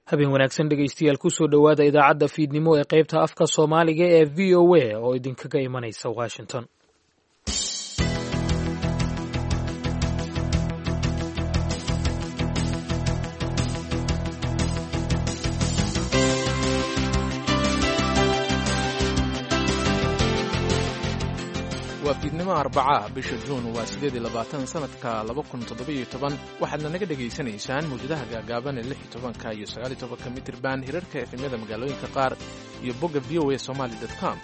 Habeen wanaagsan dhegaystayaal, kusoo dhowaada idaacadda fiidnimo ee qaybta afka Soomaaliga ee VOA oo idinkaga imanaysa Washington. Waa fiidnimo Arbacaah, bisha Juun waa 28, sanadka 2017. Waxaadna naga dhegaysanaysaan mawjadaha gaagaaban ee 16-ka iyo 19-ka mitirban, hirarka efemyada magaalooyinka qaar iyo bogga voasomali com.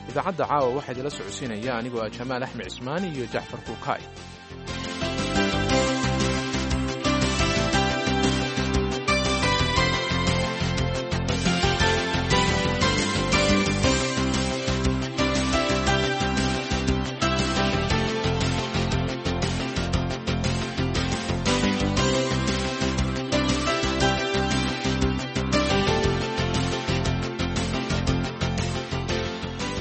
Idaacadda caawa waxaa idinla socodsiinaya anigoo ah Jamaal Axmed Cismaan iyo Jacfar Kuukaay.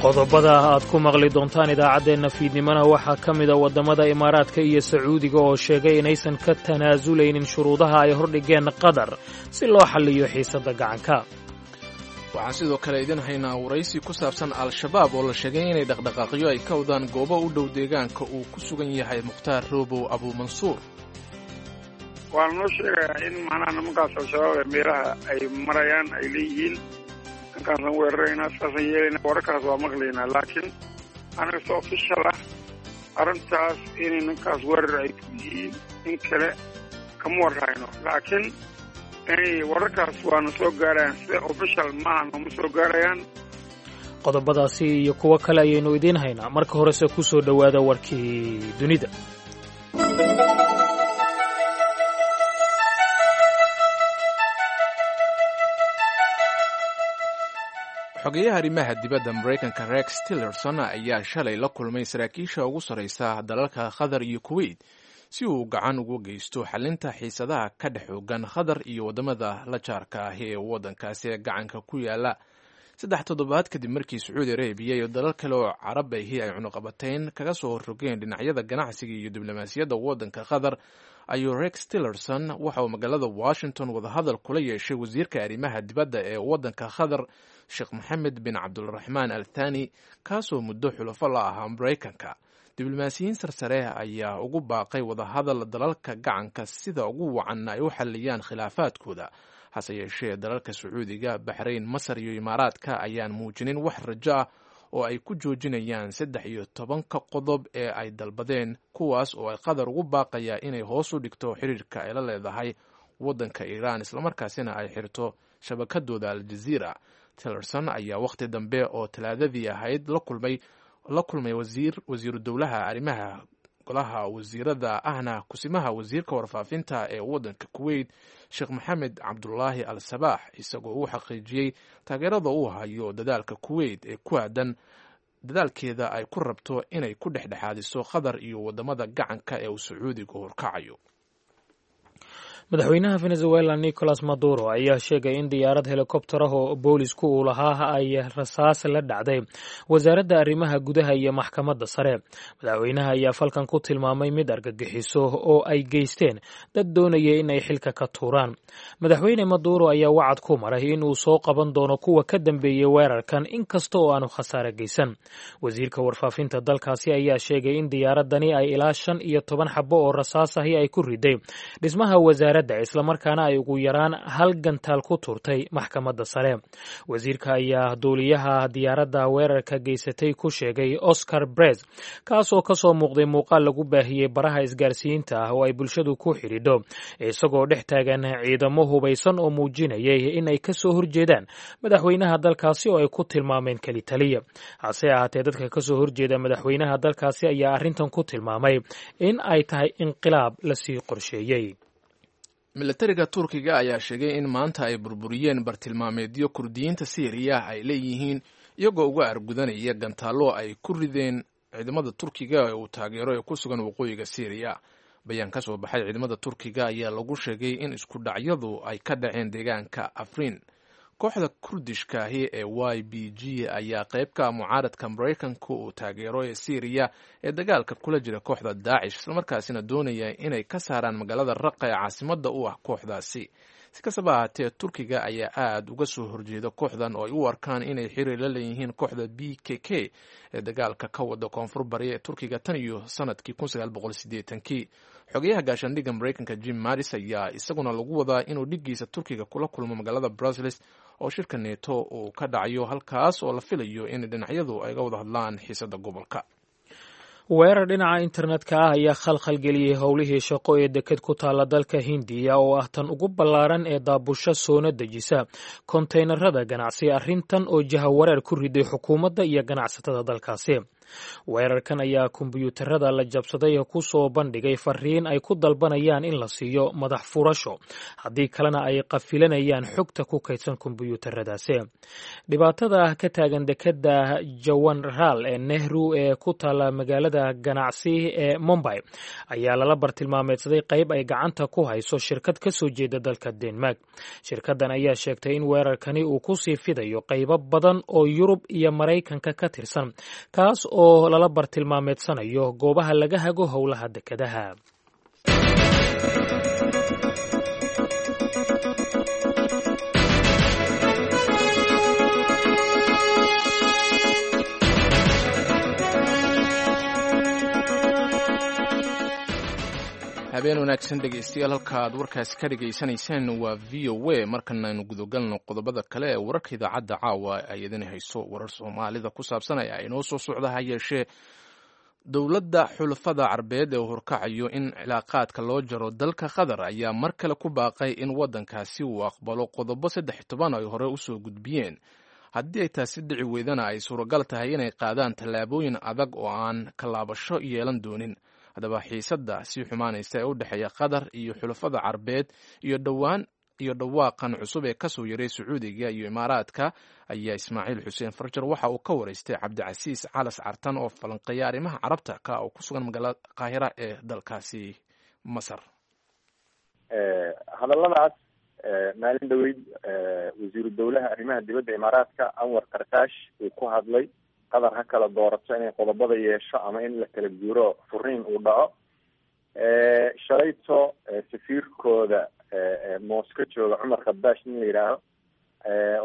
Qodobada aad ku maqli doontaan idaacaddeenna fiidnimona waxaa ka mida waddamada Imaaraadka iyo Sacuudiga oo sheegay inaysan ka tanaasulaynin shuruudaha ay hordhigeen Qatar si loo xalliyo xiisadda gacanka. Waxaan sidoo kale idin haynaa waraysi ku saabsan Al-Shabaab oo la sheegay inay dhaqdhaqaaqyo ay ka wadaan goobo u dhow deegaanka uu ku sugan yahay Mukhtaar Roobow Abuumansuur. Waa lanoo sheegayaa in macnaha nimankaas Al-Shabaab ee meelaha ay marayaan ay leeyihiin ninkaasaan weeraraynaa, saasaan yeelayna. Wararkaas waa maqlaynaa, laakiin anaga si official ah arrintaas inay ninkaas weerar ay ku yihiin in kale kama warhayno, laakiin inay wararkaas waana soo gaarayaan, sida official maaha nooma soo gaarayaan. Qodobadaasi iyo kuwo kale ayaynu idiin haynaa. Marka horese ku soo dhowaada warkii dunida. Xogeyaha arrimaha dibadda Maraykanka Rex Tillerson ayaa shalay la kulmay saraakiisha ugu sarraysa dalalka Qatar iyo Kuwait si uu gacan ugu geysto xalinta xiisadaha ka dhex xoogan Qatar iyo waddamada la jaarka ah ee waddankaasi ee gacanka ku yaala, 3 toddobaad kadib markii Sacuudi Arabiya iyo dalal kale oo carab ahi ay cunuqabatayn kaga soo horrogeen dhinacyada ganacsiga iyo diblomaasiyadda waddanka Qatar. Ayuu Rex Tillerson waxa uu magaalada Washington wadahadal kula yeeshay wasiirka arrimaha dibadda ee waddanka Qatar, Sheekh Maxamed bin Cabdulraxmaan Al Thani, kaasoo muddo xulafo la ahaa Maraykanka. Diblomaasiyiin sarsare ayaa ugu baaqay wadahadal dalalka gacanka sida ugu wacan ay u xalliyaan khilaafaadkooda. Hase yeeshee, dalalka Sacuudiga, Baxrayn, Masar iyo Imaaraadka ayaan muujinin wax rajo ah oo ay ku joojinayaan 13-ka qodob ee ay dalbadeen, kuwaas oo ay Qatar ugu baaqayaa inay hoos u dhigto xiriirka ay la leedahay waddanka Iiraan, islamarkaasina ay xirto shabakadooda Aljaziira. Tillerson ayaa wakhti dambe oo Talaadadii ahayd la kulmay wasiir wasiiru dowlaha arrimaha golaha wasiirada ahna kusimaha wasiirka warfaafinta ee waddanka Kuwait, Sheekh Maxamed Cabdulaahi Al Sabaax, isagoo uu xaqiijiyey taageerada uu hayo dadaalka Kuwait ee ku aadan dadaalkeeda ay ku rabto inay ku dhexdhexaadiso Qatar iyo waddamada gacanka ee uu Sacuudigu horkacayo. Madaxweynaha Venezuela Nicolas Maduro ayaa sheegay in diyaarad helikobtar ah oo boolisku uu lahaa ay rasaas la dhacday wasaaradda arrimaha gudaha iyo maxkamadda sare. Madaxweynaha ayaa falkan ku tilmaamay mid argagixiso oo ay geysteen dad doonaya in ay xilka ka tuuraan. Madaxweyne Maduro ayaa wacad ku maray in uu soo qaban doono kuwa ka dambeeyey weerarkan, inkasta oo aanu khasaare geysan. Wasiirka warfaafinta dalkaasi ayaa sheegay in diyaaradani ay ilaa 15 xabo oo rasaas ahi ay ku riday dhismaha wasaaradda, islamarkaana ay ugu yaraan hal gantaal ku tuurtay maxkamadda sare. Wasiirka ayaa duuliyaha diyaaradda weerarka geysatay ku sheegay Oscar Brez, kaasoo kasoo muuqday muuqaal lagu baahiyey baraha isgaarsiinta ah oo ay bulshadu ku xidhiidho, isagoo dhex taagan ciidamo hubaysan oo muujinayay in ay kasoo horjeedaan madaxweynaha dalkaasi oo ay ku tilmaameen keli taliya. Hase ahaatee, dadka kasoo horjeeda madaxweynaha dalkaasi ayaa arrintan ku tilmaamay in ay tahay inqilaab lasii qorsheeyey. Milatariga Turkiga ayaa sheegay in maanta ay burburiyeen bartilmaameedyo Kurdiyiinta Siiriya ay leeyihiin, iyagoo uga argudanaya gantaallo ay ku rideen ciidamada Turkiga ee uu taageero ee ku sugan waqooyiga Siiriya. Bayaan ka soo baxay ciidamada Turkiga ayaa lagu sheegay in isku dhacyadu ay ka dhaceen deegaanka Afriin. Kooxda Kurdishkaahi ee YBG ayaa qaybka mucaaradka Maraykanka uu taageero ee Siiriya ee dagaalka kula jira kooxda Daacish, islamarkaasina doonaya inay ka saaraan magaalada Raqa ee caasimadda u ah kooxdaasi. Si kastaba ahaatee, Turkiga ayaa aada uga soo horjeeda kooxdan oo ay u arkaan inay xiriir la leeyihiin kooxda PKK ee dagaalka ka wada koonfur bari ee Turkiga tan iyo sanadkii 1980-kii. Xogayaha gaashaandhigga Maraykanka Jim Mattis ayaa isaguna lagu wadaa inuu dhiggiisa Turkiga kula kulmo magaalada Brussels oo shirka Neto uu ka dhacayo, halkaas oo la filayo in dhinacyadu ay ga wada hadlaan xiisada gobolka. Weerar dhinaca internetka ah ayaa khalkhalgeliyey howlihii shaqo ee deked ku taalla dalka Hindiya, oo ah tan ugu ballaaran ee daabusho soona dejisa kontaynarada ganacsi, arrintan oo jahawareer ku riday xukuumadda iyo ganacsatada dalkaasi. Weerarkan ayaa kombiyuutarada la jabsaday ku soo bandhigay fariin ay ku dalbanayaan in la siiyo madax furasho, haddii kalena ay qafilanayaan xogta ku kaydsan kombiyuutaradaasi. Dhibaatada ka taagan dekeda Jawaharlal ee Nehru ee ku taalla magaalada ganacsi ee Mumbai ayaa lala bartilmaameedsaday qayb ay gacanta ku hayso shirkad ka soo jeeda dalka Denmark. Shirkaddan ayaa sheegtay in weerarkani uu kusii fidayo qaybo badan oo Yurub iyo Maraykanka ka tirsan, kaas oo lala bartilmaameedsanayo goobaha laga hago howlaha dekedaha. Habeen wanaagsan, dhegeystayaal. Halka aad warkaasi ka dhegaysanayseen waa VOA. Markan aynu gudagalno qodobada kale ee wararka idaacadda caawa ay idin hayso. Warar Soomaalida ku saabsan ayaa inoo soo socda, ha yeeshee dowladda xulafada Carbeed ee horkacayo in cilaaqaadka loo jaro dalka Qatar ayaa mar kale ku baaqay in waddankaasi uu aqbalo qodobo 13 ay hore usoo gudbiyeen. Haddii ay taasi dhici weydana, ay suuragal tahay inay qaadaan tallaabooyin adag oo aan kalaabasho yeelan doonin. Haddaba, xiisadda sii xumaanaysa ee u dhexeeya Qatar iyo xulafada Carbeed iyo dhowaan iyo dhawaaqan cusub ee kasoo yaray Sacuudiga iyo Imaaraadka ayaa Ismaaciil Xuseen Farjar waxa uu ka waraystay Cabdicasiis Calas Cartan oo falanqeeya arrimaha Carabta ka oo ku sugan magaalada Qaahira ee dalkaasi Masar. Hadalladaas maalin dhaweyd wasiiru dowlaha arrimaha dibadda Imaaraadka Anwar Karkaash uu ku hadlay, Qatar ha kala doorato inay qodobada yeesho ama in la kala guuro, furiin uu dhaco. Shalayto safiirkooda Mosco jooga, Cumar Khadaash nin la yidhaaho,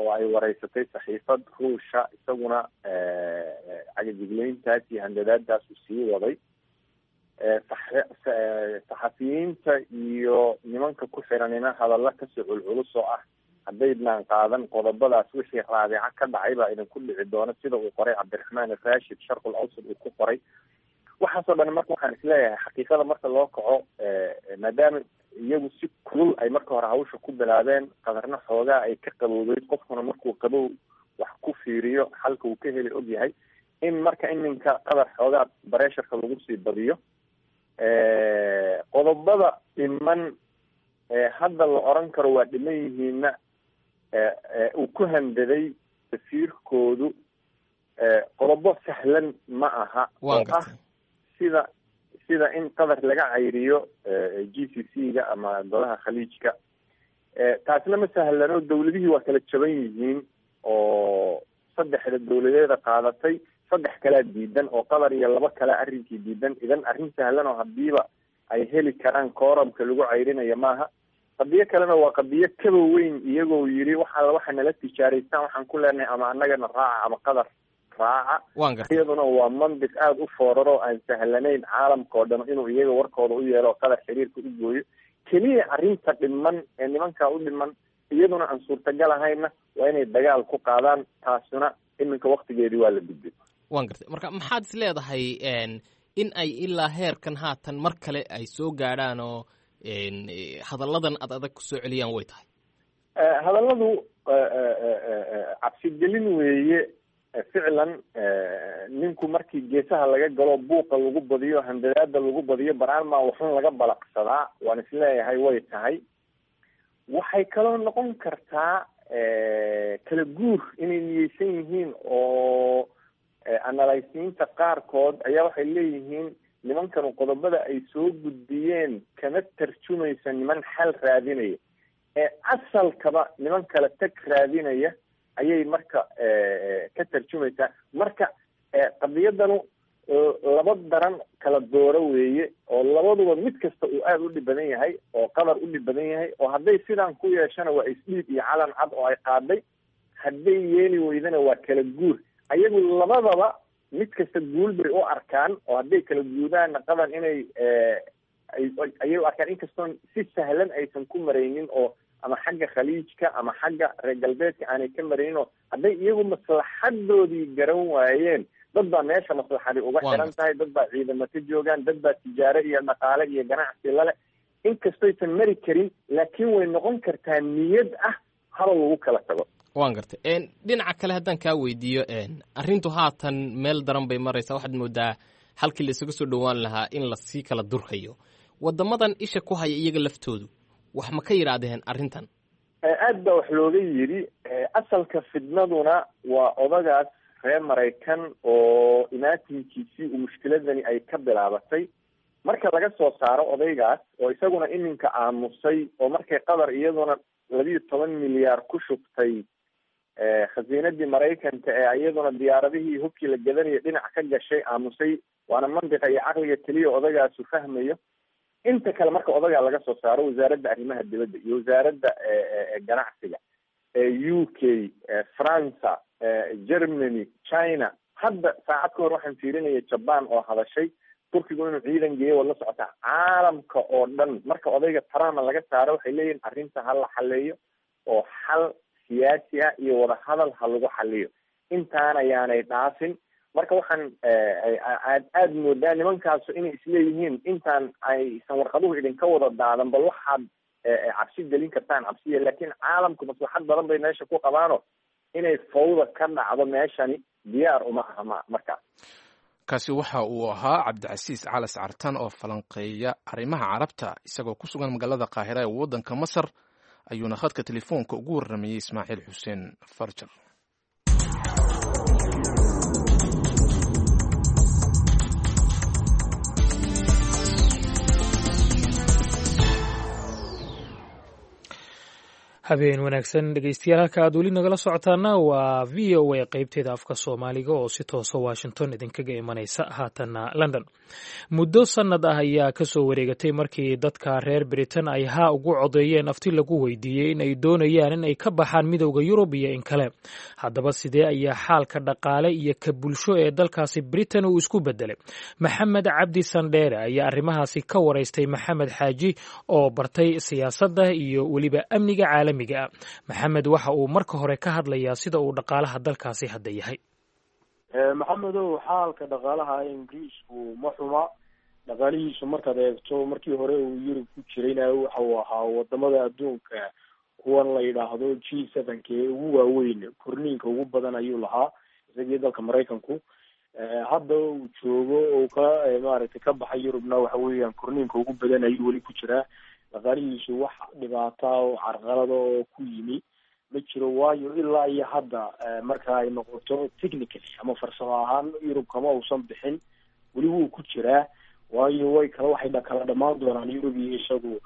oo ay wareysatay saxiifad Ruusha, isaguna cagajigleyntaas iyo handadaadaas uu sii waday. Saxafiyiinta iyo nimanka ku xiranina hadalla kasoo culculus oo ah haddaydnaan qaadan qodobadaas, wixii Raabica ka dhacay baa idinku dhici doona, sida uu qoray Cabdiraxmaan Rashid Sharqul Awsad uu ku qoray. Waxaasoo dhan marka waxaan isleeyahay, xaqiiqada marka loo kaco, maadaama iyagu si kulul ay marka hore hawsha ku bilaabeen, Qatarna xoogaa ay ka qabowdeyd, qofkuna markuu qabow wax ku fiiriyo xalka uu ka heli og yahay, in marka iminka Qatar xoogaa bareesharka lagu sii badiyo. Qodobada dhiman hadda la oran karo waa dhiman yihiinna uu ku handaday safiirkoodu qodobo sahlan ma aha, oo ah sida in Qatar laga cayriyo GCC-ga ama golaha Khaliijka. Taasna ma sahlano, dawladihii waa kala jaban yihiin oo saddexda dawladeeda qaadatay, saddex kalaa diidan, oo Qatar iyo laba kale arrinkii diidan. Idan arrin sahlan oo hadiiba ay heli karaan kooramka lagu cayrinayo maaha. Qadiyo kalena waa qadiyo kaba weyn, iyagoo yiri waxa waxa nala tijaaraystaan waxaan ku leenahay ama annagana raaca ama Qatar raaca. Iyaduna waa mandiq aada u fooraro aan sahlanayn caalamka oo dhan inuu iyaga warkooda u yeelo, Qatar xiriirka u gooyo. Keliya arrinta dhiman ee nimankaa u dhiman, iyaduna aan suurtagal ahayna, waa inay dagaal ku qaadaan. Taasuna iminka waktigeedii waa la gudbay. Waan gartay. Marka maxaad is leedahay in ay ilaa heerkan haatan mar kale ay soo gaadhaan oo hadalladan ad adag kusoo celiyaan way tahay? Hadalladu cabsigelin weeye ficlan. Ninku markii geesaha laga galo, buuqa lagu badiyo, handadaada lagu badiyo, baraanmaa waxun laga balaqsadaa, waan isleeyahay way tahay. Waxay kaloo noqon kartaa kala guur inay niyeysan yihiin, oo analysiinta qaarkood ayaa waxay leeyihiin nimankanu qodobada ay soo gudbiyeen kama tarjumaysa niman xal raadinaya, ee asalkaba niman kala tag raadinaya ayay marka ka tarjumaysaa. Marka qadiyadanu Laba daran kala dooro weeye, oo labaduba mid kasta uu aada u dhib badan yahay, oo Qatar u dhib badan yahay, oo hadday sidaan ku yeeshana waa isdhiib iyo calan cad oo ay qaaday, hadday yeeli weydana waa kala guur. Ayagu labadaba mid kasta guul bay u arkaan, oo hadday kala guudaanna Qatar inay ayay u arkaan, inkastoon si sahlan aysan ku maraynin, oo ama xagga Khaliijka ama xagga reer galbeedka aanay ka maraynin, oo hadday iyagu maslaxadoodii garan waayeen, dad baa meesha maslaxadi uga xiran tahay, dad baa ciidamo ka joogaan, dad baa tijaaro iyo dhaqaale iyo ganacsi lale. Inkastoysan mari karin, laakiin way noqon kartaa niyad ah haba lagu kala tago. Waan gartay. Dhinaca kale haddaan kaa weydiiyo, arrintu haatan meel daran bay maraysaa. Waxaad moodaa halkii la isaga soo dhowaan lahaa in lasii kala durkayo. Waddamadan isha ku haya iyaga laftoodu wax ma ka yidhaahdeen arrintan? Aad baa wax looga yidhi. Asalka fidnaduna waa odagaas reer Maraykan oo imaatinkiisii uu mushkiladani ay ka bilaabatay. Marka laga soo saaro odaygaas oo isaguna iminka aamusay, oo markay Qatar iyaduna 12 milyaar ku shubtay khasiinadii Maraykanka ee iyaduna diyaaradihii hubkii la gadanayo dhinac ka gashay, aamusay, waana mantiqa iyo caqliga keliya odagaasu fahmayo. Inta kale marka odagaa laga soo saaro, wasaaradda arrimaha dibadda iyo wasaaradda ganacsiga, UK, Faransa, Germany, China, hadda saacad ka hor waxaan fiirinaya Jaban oo hadashay, Turkigu inuu ciidan geeyo waad la socotaa. Caalamka oo dhan marka odayga Trump laga saaro, waxay leeyihin arrinta ha la xaleeyo oo xal siyaasi ah iyo wadahadal ha lagu xaliyo, intaana yaanay dhaafin. Marka waxaan aad aada moodaa nimankaasu inay isleeyihiin intaan aysan warqaduhu idinka wada daadan, bal waxaad cabsi gelin kartaan cabsiya. Laakiin caalamku maslaxad badan bay meesha ku qabaano, inay fawda ka dhacdo meeshani diyaar uma aha ma markaas. Kaasi waxa uu ahaa Cabdicasiis Calas Cartan oo falanqeeya arrimaha Carabta. Isagoo ku sugan magaalada Qaahira ee waddanka Masar ayuuna khadka telefoonka ugu warramayey Ismaaciil Xuseen Farjar. Habeen wanaagsan, dhegeystayaal. Halka aad weli nagala socotaana waa VOA qeybteeda afka Soomaaliga oo si toosa Washington idinkaga imanaysa. Haatanna London. Muddo sanad ah ayaa kasoo wareegatay markii dadka reer Britain ay haa ugu codeeyeen afti lagu weydiiyey in ay doonayaan in ay ka baxaan Midowda Yurub iyo in kale. Haddaba sidee ayaa xaalka dhaqaale iyo ka bulsho ee dalkaasi Britain uu isku bedelay? Maxamed Cabdi Sandheere ayaa arrimahaasi ka waraystay Maxamed Xaaji oo bartay siyaasadda iyo weliba amniga caalamiga ah. Maxamed waxa uu marka hore ka hadlayaa sida uu dhaqaalaha dalkaasi hadda yahay. Maxamedow, xaalka dhaqaalaha Ingiriisku ma xuma. Dhaqaalihiisu markaad eegto markii hore uu Yurub ku jirayna, waxa uu ahaa wadamada adduunka kuwan la yidhaahdo G7-ka ee ugu waaweyn, korniinka ugu badan ayuu lahaa isagii dalka Maraykanku. Hadda uu joogo oo ka maaragtay ka baxay Yurubna, waxa weeyaan korniinka ugu badan ayuu weli ku jiraa. Dhaqaalihiisu wax dhibaata oo carqalada oo ku yimi ma jiro, waayo ilaa iyo hadda marka ay noqoto technically ama farsamo ahaan Yurub kama uusan bixin, weli wuu ku jiraa, waayo way kala waxay kala dhamaan doonaan Yurub iyo isagu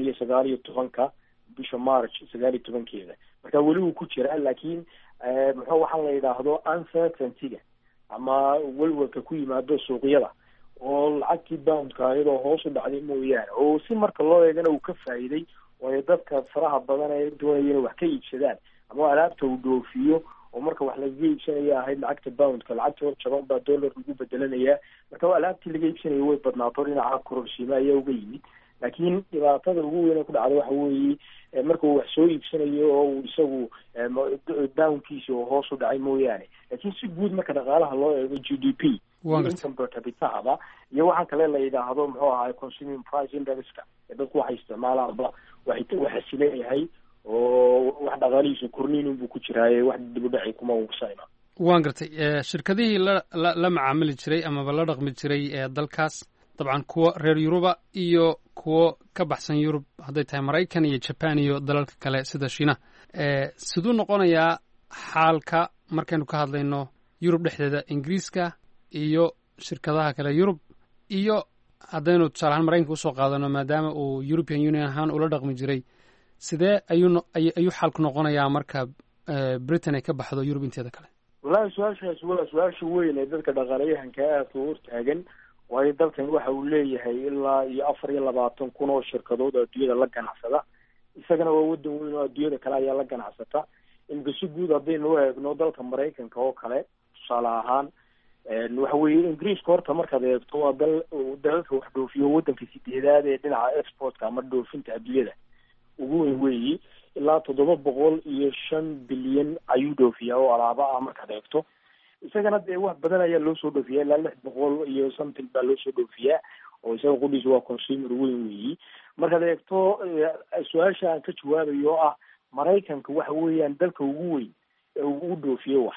2019-ka bisha March 19-keeda. Marka weli wuu ku jiraa, laakiin muxuu waxaan la yidhaahdo uncertainty-ga ama welwelka ku yimaado suuqyada oo lacagtii poundka iyadoo hoos u dhacday mooyaane, oo si marka loo eegana uu ka faa'iiday, waayo dadka faraha badan ee doonaya inay wax ka iibsadaan ama alaabta uu dhoofiyo oo marka wax lagaga iibsanaya ahayd lacagta poundka, lacagta hor jaban baa dollar lagu bedelanayaa. Marka alaabtii laga iibsanaya way badnaato, dhinaca kororsiima ayaa uga yimid. Laakiin dhibaatada ugu weyn ee ku dhacda waxa weeye marka uu wax soo iibsanayo oo uu isagu poundkiisa oo hoos u dhacay mooyaane. Laakiin si guud marka dhaqaalaha loo eego, GDP, income per capitaba iyo waxaan kale la yidhaahdo muxuu ahaay consuming price indexka ee dadku waxay isticmaalaanba, waxay waxa sileeyahay oo wax dhaqaalihiisu korniin unbuu ku jiraaye, wax dib u dhaci kuma uusan. Waan gartay. Shirkadihii la macaamili jiray amaba la dhaqmi jiray ee dalkaas, dabcan kuwa reer Yuruba iyo kuwo ka baxsan Yurub, hadday tahay Maraykan iyo Jaban iyo dalalka kale sida Shiinaha, siduu noqonayaa xaalka markaynu ka hadlayno Yurub dhexdeeda, Ingiriiska iyo shirkadaha kale Yurub, iyo haddaynu tusaale ahaan Maraykanka usoo qaadano, maadaama uu European Union ahaan ula dhaqmi jiray, sidee ayuu xaalku noqonayaa marka Britain ay ka baxdo Yurub inteeda kale? Wallahi su-aashaasi waa su-aasha weyn ee dadka dhaqaalayahanka aadka u hortaagan, waayo dalkan waxa uu leeyahay ilaa iyo 24,000 oo shirkadood oo adduunyada la ganacsada. Isagana waa wadan weyn oo adduunyada kale ayaa la ganacsata. Imika si guud haddaynu u eegno dalka Maraykanka oo kale tusaale ahaan, waxa weeye Ingiriiska horta markaad eegto waa dal dalalka wax dhoofiyo, wadanka sideedaad ee dhinaca exportka ama dhoofinta adduunyada ugu weyn weeyi. Ilaa 705 bilyan ayuu dhoofiyaa oo alaaba ah markaad eegto. Isagana dee wax badan ayaa loo soo dhoofiyaa, ilaa 600 iyo something baa loo soo dhoofiyaa, oo isaga qudhiisa waa consumer weyn weeyi. Markaad eegto su-aasha aan ka jawaabayo oo ah Maraykanka, waxa weeyaan dalka ugu weyn ee uu dhoofiyo wax,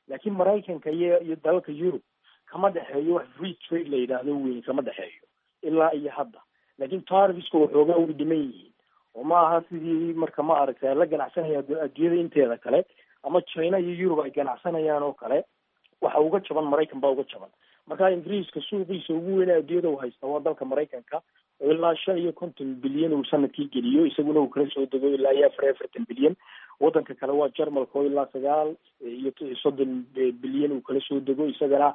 laakiin Maraykanka iyo dalalka Yurub kama dhexeeyo wax free trade la yidhaahdo weyn, kama dhexeeyo ilaa iyo hadda. Laakiin tariffska waxoogaa way dhiman yihiin, oo ma aha sidii marka ma aragtay la ganacsanaya adduunyada inteeda kale ama China iyo Yurub ay ganacsanayaan oo kale. Waxa uga jaban Maraykan baa uga jaban. Marka Ingiriiska suuqiisa ugu weyn adduunyada uu haysta waa dalka Maraykanka, oo ilaa 55 bilyan uu sanadkii geliyo, isaguna uu kala soo dego ilaa iyo 44 bilyan. Wadanka kale waa Jarmalka, oo ilaa 39 bilyan uu kala soo dego, isagana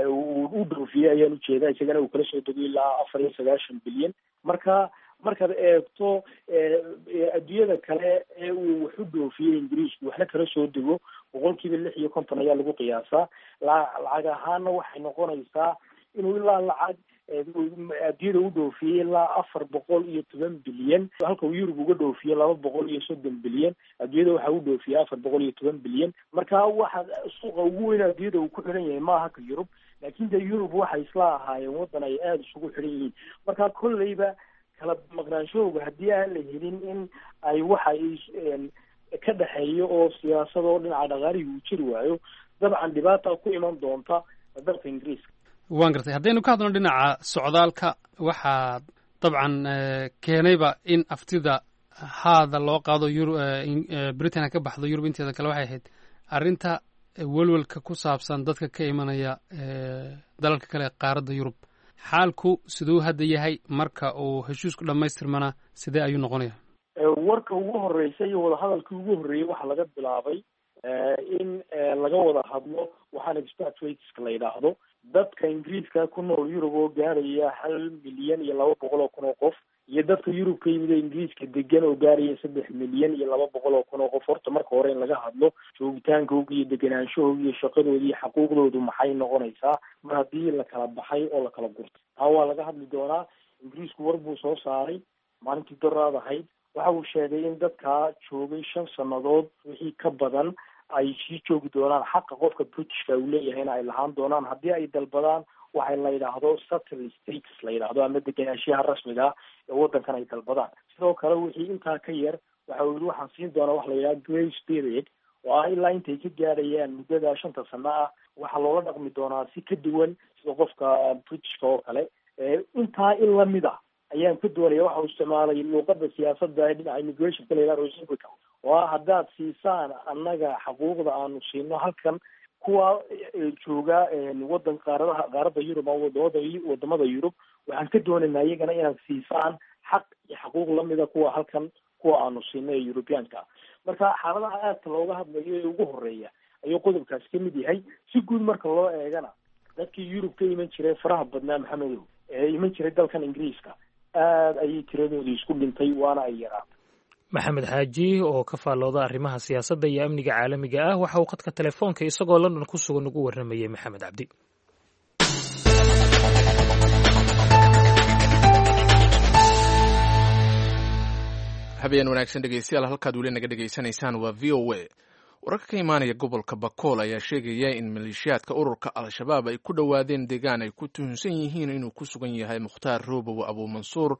uu u dhoofiyey ayaan ujeedaa, isagana uu kala soo dego ilaa 94 bilyan. Marka markaad eegto adduunyada kale ee uu wax u dhoofiyey Ingiriisku waxna kala soo dego, 56% ayaa lagu qiyaasaa. Lacag ahaana waxay noqonaysaa inuu ilaa lacag adduunyada u dhoofiyey ilaa 410 bilyan, halka uu Yurub uga dhoofiye 230 bilyan. Adduunyada waxa u dhoofiyey 410 bilyan. Marka waxa suuqa ugu weyn adduunyada uu ku xidhan yahay maaha ka Yurub, laakiin dee Yurub waxay isla ahaayeen waddan ay aada isugu xidhan yihiin. Marka kolleyba kala maqnaanshahooga haddii aan la helin in ay waxa ka dhexeeyo oo siyaasad oo dhinaca dhaqaalihii uu jiri waayo, dabcan dhibaata ku iman doonta dalka Ingiriiska. Waan gartay. Haddaynu ka hadlno dhinaca socdaalka, waxaa dabcan keenayba in aftida haada loo qaado Britain ka baxdo Yurub inteeda kale waxay ahayd arrinta welwelka ku saabsan dadka ka imanaya dalalka kale ee qaaradda Yurub. Xaalku siduu hadda yahay? Marka uu heshiisku dhammaystirmana sidee ayuu noqonaya? Warka ugu horeysa iyo wadahadalkii ugu horreeyey waxaa laga bilaabay in laga wada hadlo waxaana expatriateska la yidhaahdo, dadka Ingiriiska ku nool Yurub oo gaaraya 1,200,000 oo qof, iyo dadka Yurub ka yimid ee Ingiriiska degan oo gaaraya 3,200,000 oo qof. Horta marka hore in laga hadlo joogitaankooga iyo degenaanshahooga iyo shaqadooda iyo xaquuqdoodu maxay noqonaysaa mar haddii la kala baxay oo la kala gurtay, taa waa laga hadli doonaa. Ingiriisku war buu soo saaray maalintii doraad ahayd. Waxa uu sheegay in dadkaa joogay 5 sannadood wixii ka badan ay sii joogi doonaan, xaqa qofka Britishka uu leeyahayna ay lahaan doonaan haddii ay dalbadaan waxay la yidhaahdo settled status la yidhaahdo ama degenaanshiyaha rasmiga ah ee waddankan ay dalbadaan. Sidoo kale wixii intaa ka yar, waxa uu yihi, waxaan siin doonaa wax la yidhahdo grace period, oo ah ilaa intay ka gaadhayaan muddada shanta sano ah waxaa loola dhaqmi doonaa si ka duwan sida qofka Britishka oo kale. Intaa in lamid ah ayaan ka doonaya. Waxa uu isticmaalay luuqada siyaasadda ee dhinaca immigrationka la yidhahdo reciprocal, oo ah haddaad siisaan annaga xaquuqda aanu siino halkan kuwa jooga wadan qaaradaha qaaradda Yurub ama wadamada Yurub, waxaan ka doonaynaa iyagana inaad siisaan xaq iyo xaquuq lamida kuwa halkan kuwa aanu siino ee Europeanka. Marka xaaladaha aadka looga hadlayo ee ugu horeeya ayuu qodobkaasi ka mid yahay. Si guud marka loo eegana, dadkii Yurub ka iman jiray faraha badnaa, Maxamedow, ee iman jiray dalkan Ingiriiska, aada ayay tiradooda isku dhintay, waana ay yaraatay. Maxamed Xaaji oo ka faallooda arrimaha siyaasadda iyo amniga caalamiga ah waxa uu khadka telefoonka isagoo London ku sugan ugu warramayey Maxamed Cabdi. Habeen wanaagsan dhegeystayaal, halkaad weli naga dhegeysanaysaan waa VOA. Wararka ka imaanaya gobolka Bakool ayaa sheegaya in maleeshiyaadka ururka Al-Shabaab ay ku dhowaadeen deegaan ay ku tuhunsan yihiin inuu ku sugan yahay Mukhtaar Roobow Abuumansuur,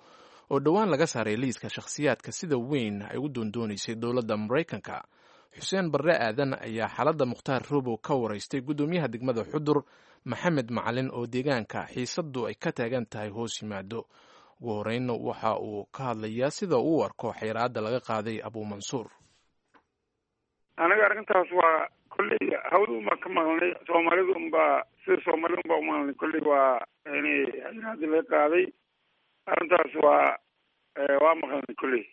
oo dhowaan laga saaray liiska shakhsiyaadka sida weyn ay u doondoonaysay dowladda Maraykanka. Xuseen Barre Aadan ayaa xaaladda Mukhtaar Roobow ka waraystay guddoomiyaha degmada Xudur, Maxamed Macalin, oo deegaanka xiisaddu ay ka taagan tahay hoos yimaado. Ugu horeynna waxa uu ka hadlayaa sida uu u arko xayraadda laga qaaday Abuumansuur. Aniga arrintaas waa kolley hawda unbaan ka maqalnay, Soomaalida unbaa sida Soomaalida unbaa umaqalnay. Kolley waa yani xayraadda laga qaaday, arrintaas waa maqalnay kolley.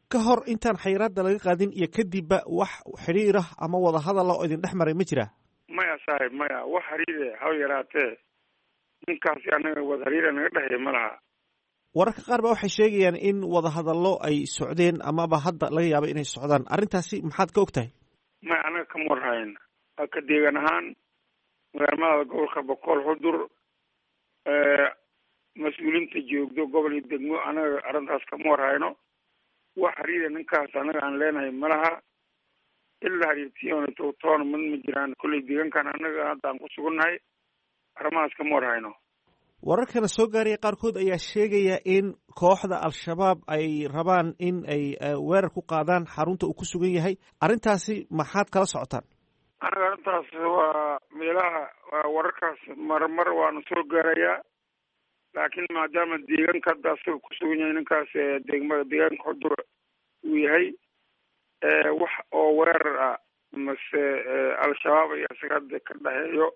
Ka hor intaan xayiraadda laga qaadin iyo kadibba wax xidhiir ah ama wadahadala oo idin dhex maray ma jira? Maya saaxib, maya, wax hariire ha yaraatee ninkaasi anaga wad hariire naga dhexeeya ma laha. Wararka qaar ba waxay sheegayaan in wadahadallo ay socdeen amaba hadda laga yaabo inay socdaan. Arrintaasi maxaad ka og tahay? Maya, anaga kama warhayn. Ka deegan ahaan magaalmada gobolka Boqol Xudur, mas-uuliinta joogdo gobol iyo degmo, anaga arrintaas kama warhayno. Wax hariira ninkaas anaga aan leenahay malaha. Ilaa hariirtiyoona toon mid ma jiraan. Kolley deegaankan anaga hadda aan ku sugannahay arrimahaas kama warhayno. Wararkana soo gaaraya qaarkood ayaa sheegaya in kooxda Al-Shabaab ay rabaan in ay weerar ku qaadaan xarunta uu ku sugan yahay. Arrintaasi maxaad kala socotaan? Anaga arrintaas waa meelaha wararkaas marmar waana soo gaarayaa, laakiin maadaama deegaanka hadda asaga ku sugan yahay ninkaas degmada deegaanka Xudur uu yahay, wax oo weerar ah mase Al-Shabaab iyo asaga hadda ka dhexeeyo,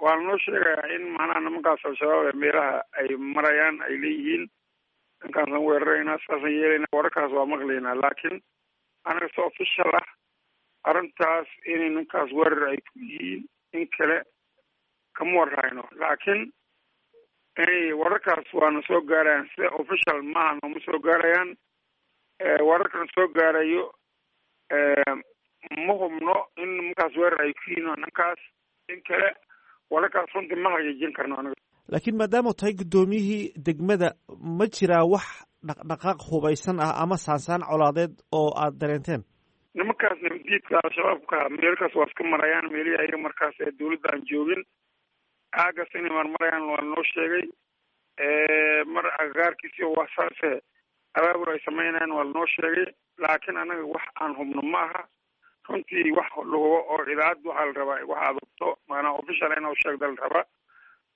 waana noo sheegayaa in macnaha nimankaas Al-Shabaab ee meelaha ay marayaan ay leeyihiin ninkaasaan weeraraynaa, saasaan yeelaynaa. Wararkaas waa maqlaynaa, laakiin anaga si official ah arrintaas inay ninkaas weerar ay ku yihiin in kale kama warhayno. Laakiin inay wararkaas waana soo gaarayaan, sida official maaha nooma soo gaarayaan. Wararkana soo gaarayo ma hubno in nimankaas weerar ay ku yihiin ninkaas in kale. Wararkaas runtii ma xaqiijin karno anaga. Laakiin maadaama tahay guddoomiyihii degmada, ma jiraa wax dhaqdhaqaaq hubaysan ah ama saansaan colaadeed oo aad dareenteen? Nimankaas nabadiidka Al-Shabaabka meelkaas waa iska marayaan, meelihii ayaga markaas ee dawladda aan joogin aagaas inay marmarayaan waa noo sheegay. Mar agagaarkiisi wax saase abaabul ay sameynayaan waa lanoo sheegay, laakiin anaga wax aan hubno ma aha runtii. Wax lahubo oo idaacad waxaa la rabaa wax aad hubto, maanaa official ina sheegda la rabaa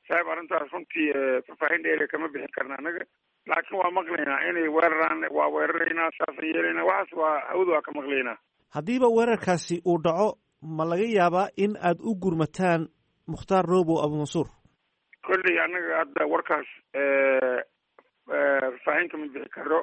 saaxib. Arrintaas runtii faahfaahin dheer kama bixin karna anaga, laakiin waa maqlaynaa inay weeraraan, waa weeraraynaa, saasaan yeelaynaa, waxaas waa hawada waa ka maqlaynaa. Haddiiba weerarkaasi uu dhaco, ma laga yaabaa in aad u gurmataan Mukhtaar Robow Abumansuur? Kolley anaga hadda warkaas faahfaahin kama bixi karo.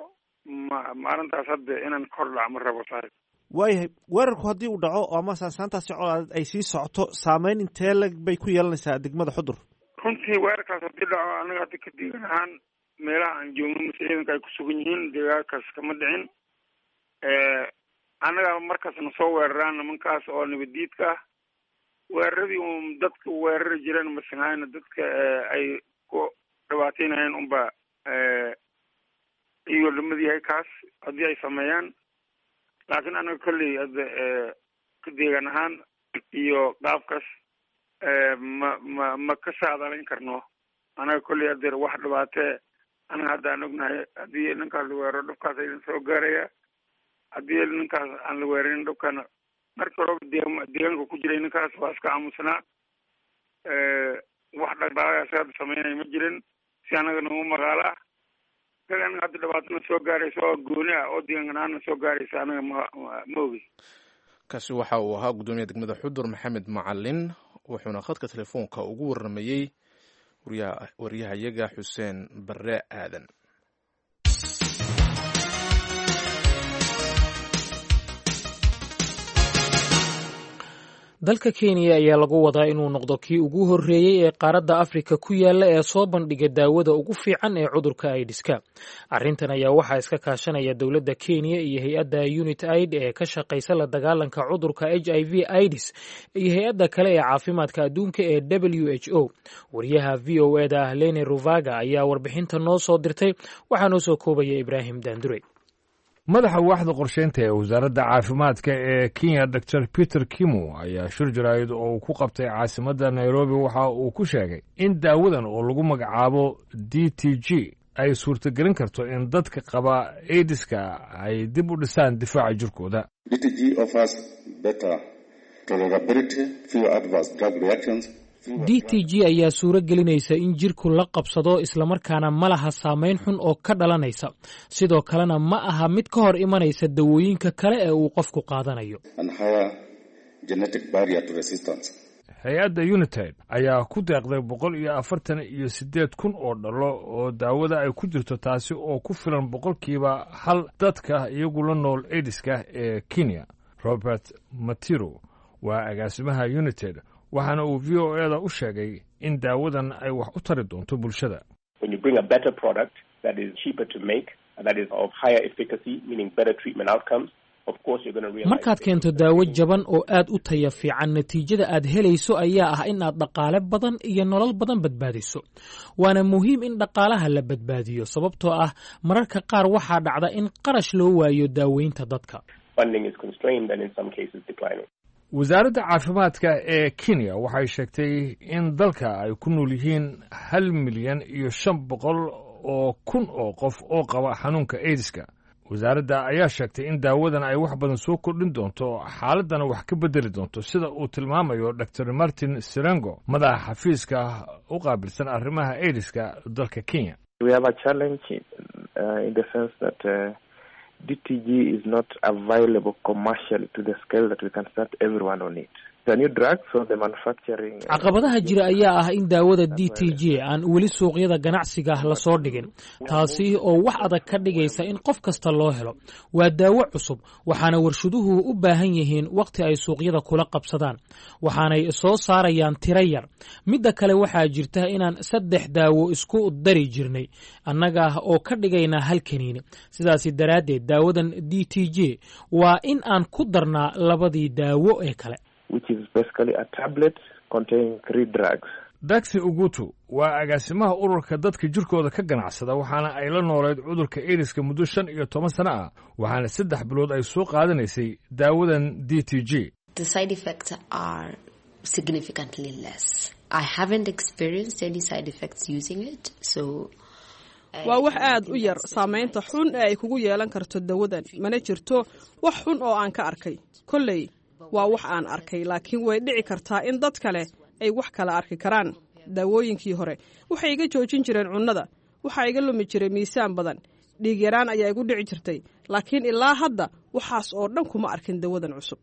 Ma arrintaas hadda inaan kor dhac ma rabo saaxib. Waayahay, weerarku haddii uu dhaco ama saansaantaasi colaadeed ay sii socoto, saameyn intee lag bay ku yeelanaysaa degmada Xudur? Runtii weerarkaas haddii dhaco, anaga hadda ka deegan ahaan meelaha aan joogno mase ciidanka ay ku sugan yihiin deegaankaas kama dhicin. Annaga markaas na soo weeraraan nimankaas oo nabadiidka ah, weeraradii uun dadka weerari jireen masenhayna dadka ay ku dhibaateynayeen unba iyagoo lamid yahay kaas haddii ay sameeyaan. Laakiin anaga kolley hadda ka deegaan ahaan iyo qaabkaas ma ka saadalayn karno. Anaga kolley hadeer wax dhibaatee anaga hadda aan ognahay, haddii ninkaas la weeraro dhubkaas idin soo gaaraya, haddii ninkaas aan la weerarin dhubkana marka horeba deegaanka ku jiray ninkaas waa iska aamusnaa. Wax dhaqdhaqaaqaas hadda sameynaya ma jirin si anaga nagu magaalo ah. Kali anaga hadda dhibaatana soo gaaraysa oo gooni ah oo deegaankan aana soo gaaraysa anaga ma ogi. Kaasi waxa uu ahaa guddoomiyaha degmada Xudur Maxamed Macalin, wuxuuna khadka telefoonka ugu warramayey waryahayaga Xuseen Barre Aadan. Dalka Kenya ayaa lagu wadaa inuu noqdo kii ugu horreeyey ee qaaradda Afrika ku yaalla ee soo bandhiga daawada ugu fiican ee cudurka aidiska. Arrintan ayaa waxaa iska kaashanaya dowladda Kenya iyo hay-adda Unit Aid ee ka shaqaysa la dagaalanka cudurka HIV AIDS iyo hay-adda kale ee caafimaadka adduunka ee WHO. Wariyaha VOA da ah Lene Ruvaga ayaa warbixinta noo soo dirtay, waxaa noo soo koobaya Ibraahim Daandure. Madaxa waaxda qorsheynta ee wasaaradda caafimaadka ee Kenya, Dor Peter Kimo, ayaa shir jaraa'id oo uu ku qabtay caasimadda Nairobi waxa uu ku sheegay in daawadan oo lagu magacaabo DTG ay suurtagelin karto in dadka qaba aidiska ay dib u dhisaan difaaca jirkooda. DTG ayaa suuro gelinaysa in jirku la qabsado, islamarkaana ma laha saamayn xun oo ka dhalanaysa. Sidoo kalena ma aha mid ka hor imanaysa dawooyinka kale ee uu qofku qaadanayo. Hay-adda United ayaa ku deeqday 148,000 oo dhalo oo daawada ay ku jirto, taasi oo ku filan 1% dadka iyagu la nool aidiska ee Kenya. Robert Matiro Waa agaasimaha United, waxaana uu VOA da u sheegay in daawadan ay wax u tari doonto bulshada. When you bring a better product that is cheaper to make and that is of higher efficacy, meaning better treatment outcomes, of course you're going to realize. Markaad keento daawo jaban oo aad u taya fiican, natiijada aad helayso ayaa ah in aad dhaqaale badan iyo nolol badan badbaadiso. Waana muhiim in dhaqaalaha la badbaadiyo, sababtoo ah mararka qaar waxaa dhacda in qarash loo waayo daaweynta dadka. Funding is constrained and in some cases declining. Wasaaradda caafimaadka ee Kenya waxay sheegtay in dalka ay ku nool yihiin 1,500,000 oo qof oo qaba xanuunka aidiska. Wasaaradda ayaa sheegtay in daawadan ay wax badan soo kordhin doonto, xaaladdana wax ka bedeli doonto, sida uu tilmaamayo Dr Martin Sirengo, madaxa xafiiska u qaabilsan arrimaha aidiska dalka Kenya. We have a challenge in the sense that DTG is not available commercially to the scale that we can start everyone on it. It's a new drug, so the manufacturing. Caqabadaha jira ayaa ah in daawada DTG aan weli suuqyada ganacsiga ah lasoo dhigin, taasi oo wax adag ka dhigaysa in qof kasta loo helo. Waa daawo cusub, waxaana warshaduhu u baahan yihiin wakhti ay suuqyada kula qabsadaan, waxaanay soo saarayaan tiro yar. Midda kale, waxaa jirta inaan saddex daawo isku dari jirnay annaga oo ka dhigayna hal kaniini. Sidaasi daraaddeed, daawadan DTG waa in aan ku darnaa labadii daawo ee kale. Which is basically a tablet containing three drugs. Daxi Ugutu waa agaasimaha ururka dadka jirkooda ka ganacsada, waxaana ay la nooleed cudurka aidiska muddo 15 sano ah, waxaana 3 bilood ay soo qaadanaysay daawadan DTG. The side effects are significantly less. I haven't experienced any side effects using it, so. Waa wax aad u yar saamaynta xun ee ay kugu yeelan karto dawadan. Mana jirto wax xun oo aan ka arkay. Kolley waa wax aan arkay, laakiin way dhici kartaa in dad kale ay wax kala arki karaan. Daawooyinkii hore waxay iga joojin jireen cunnada, waxaa iga lumi jiray miisaan badan, dhiig yaraan ayaa igu dhici jirtay, laakiin ilaa hadda waxaas oo dhan kuma arkin dawadan cusub.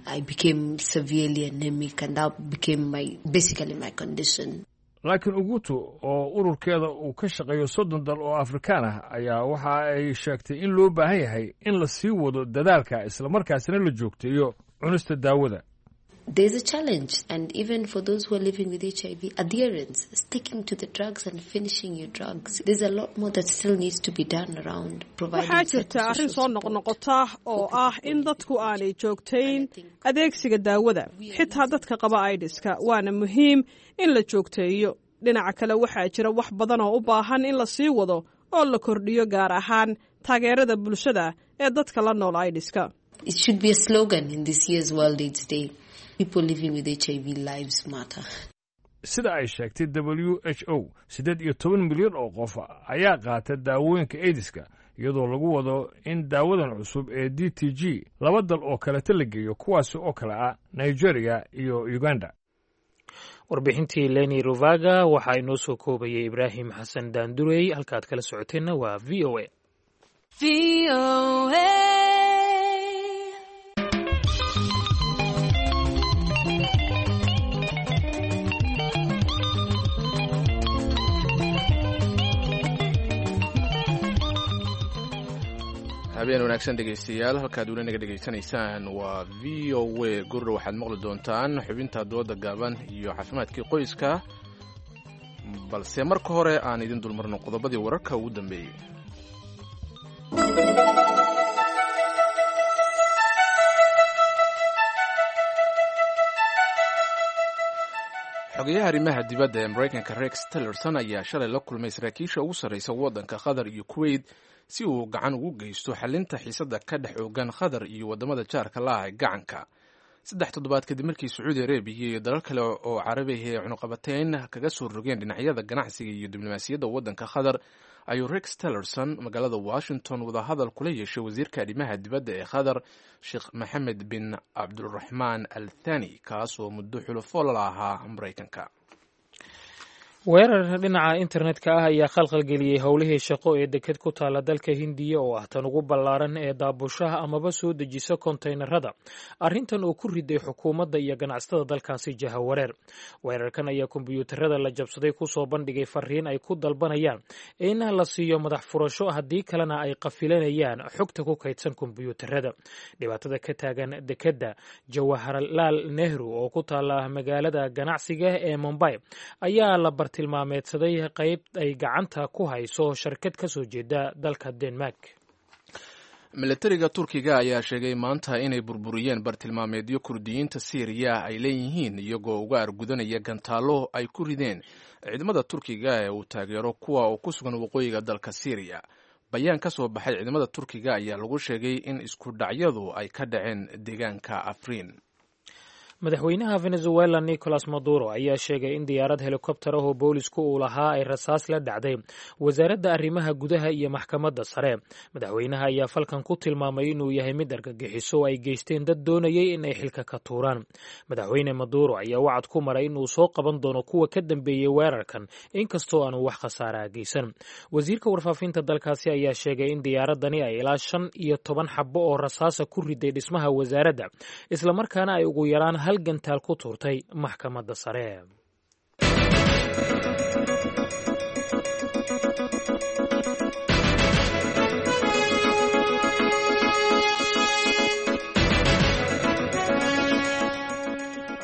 I became severely anemic and that became my basically my condition. Laakiin Ugutu, oo ururkeeda uu ka shaqeeyo 30 dal oo Afrikaan ah, ayaa waxa ay sheegtay in loo baahan yahay in la sii wado dadaalka, islamarkaasina la joogteeyo cunista daawada. There's a challenge, and even for those who are living with HIV, adherence, sticking to the drugs and finishing your drugs. There's a lot more that still needs to be done around providing. Waxaa jirta arrin soo noqnoqota oo ah in dadku aanay joogtayn adeegsiga daawada, xitaa dadka qaba aidiska, waana muhiim in la joogteeyo. Dhinaca kale, waxaa jira wax badan oo u baahan in la sii wado oo la kordhiyo, gaar ahaan taageerada bulshada ee dadka la nool aidiska. It should be a slogan in this year's World AIDS Day. People living with HIV lives matter. Sida ay sheegtay WHO, 18 milyan oo qof ayaa qaata daawooyinka aidiska, iyadoo lagu wado in daawadan cusub ee DTG laba dal oo kaleta la geeyo, kuwaasi oo kale ah Nigeria iyo Uganda. Warbixintii Leni Ruvaga waxaa inoo soo koobayay Ibraahim Xasan Daandurey. Halkaad kala socoteenna waa VOA. Habeen wanaagsan, dhegaystayaal. Halkaad weli naga dhegaysanaysaan waa VOA. Gurdha waxaad maqli doontaan xubinta dooda gaaban iyo caafimaadkii qoyska, balse marka hore aan idin dulmarno qodobadii wararka ugu dambeeyey. Xogayaha arrimaha dibadda ee Maraykanka Rex Tillerson ayaa shalay la kulmay saraakiisha ugu sarreysa waddanka Qatar iyo Kuwait si uu gacan ugu geysto xalinta xiisadda ka dhex oogan Qatar iyo waddamada jaarka la ah ee gacanka, 3 toddobaad kadib markii Sacuudi Arabiya iyo dalal kale oo carabihi ay cunuqabateyn kaga soo rogeen dhinacyada ganacsiga iyo diblomaasiyadda waddanka Qatar. Ayuu Rex Tillerson magaalada Washington wadahadal kula yeeshay wasiirka arrimaha dibadda ee Qatar, Sheekh Maxamed bin Cabduraxmaan Al Thani, kaas oo muddo xulufo la ahaa Maraykanka. Weerar dhinaca internetka ah ayaa khalkhalgeliyey howlihii shaqo ee deked ku taala dalka Hindiya oo ah tan ugu ballaaran ee daabushaha amaba soo dejisa kontaynarada. Arrintan oo ku riday xukuumadda iyo ganacsatada dalkaasi jahawareer. Weerarkan ayaa kombiyuutarada la jabsaday kusoo bandhigay fariin ay ku dalbanayaan in la siiyo madax furasho, haddii kalena ay qafilanayaan xogta ku kaydsan kombiyuutarada. Dhibaatada ka taagan dekedda Jawaharlaal Nehru oo ku taala magaalada ganacsiga ee Mumbai ayaa la tilmaameedsaday qayb ay gacanta ku hayso sharkad ka soo jeeda dalka Denmark. Milatariga Turkiga ayaa sheegay maanta inay burburiyeen bartilmaameedyo Kurdiyiinta Siiriya ay leeyihiin, iyagoo uga argudanaya gantaallo ay ku rideen ciidamada Turkiga ee uu taageero kuwa oo ku sugan waqooyiga dalka Siiriya. Bayaan ka soo baxay ciidamada Turkiga ayaa lagu sheegay in isku dhacyadu ay ka dhaceen deegaanka Afriin. Madaxweynaha Venezuela Nicolas Maduro ayaa sheegay in diyaarad helikobtar ah oo boolisku uu lahaa ay rasaas la dhacday wasaaradda arrimaha gudaha iyo maxkamadda sare. Madaxweynaha ayaa falkan ku tilmaamay inuu yahay mid argagixiso oo ay geysteen dad doonayay in ay xilka ka tuuraan. Madaxweyne Maduro ayaa wacad ku maray inuu soo qaban doono kuwa ka dambeeyey weerarkan, inkastoo aanu wax khasaaraa geysan. Wasiirka warfaafinta dalkaasi ayaa sheegay in diyaaradani ay ilaa 15 xabo oo rasaasa ku riday dhismaha wasaaradda, islamarkaana ay ugu yaraan hal gantaal ku tuurtay maxkamadda sare.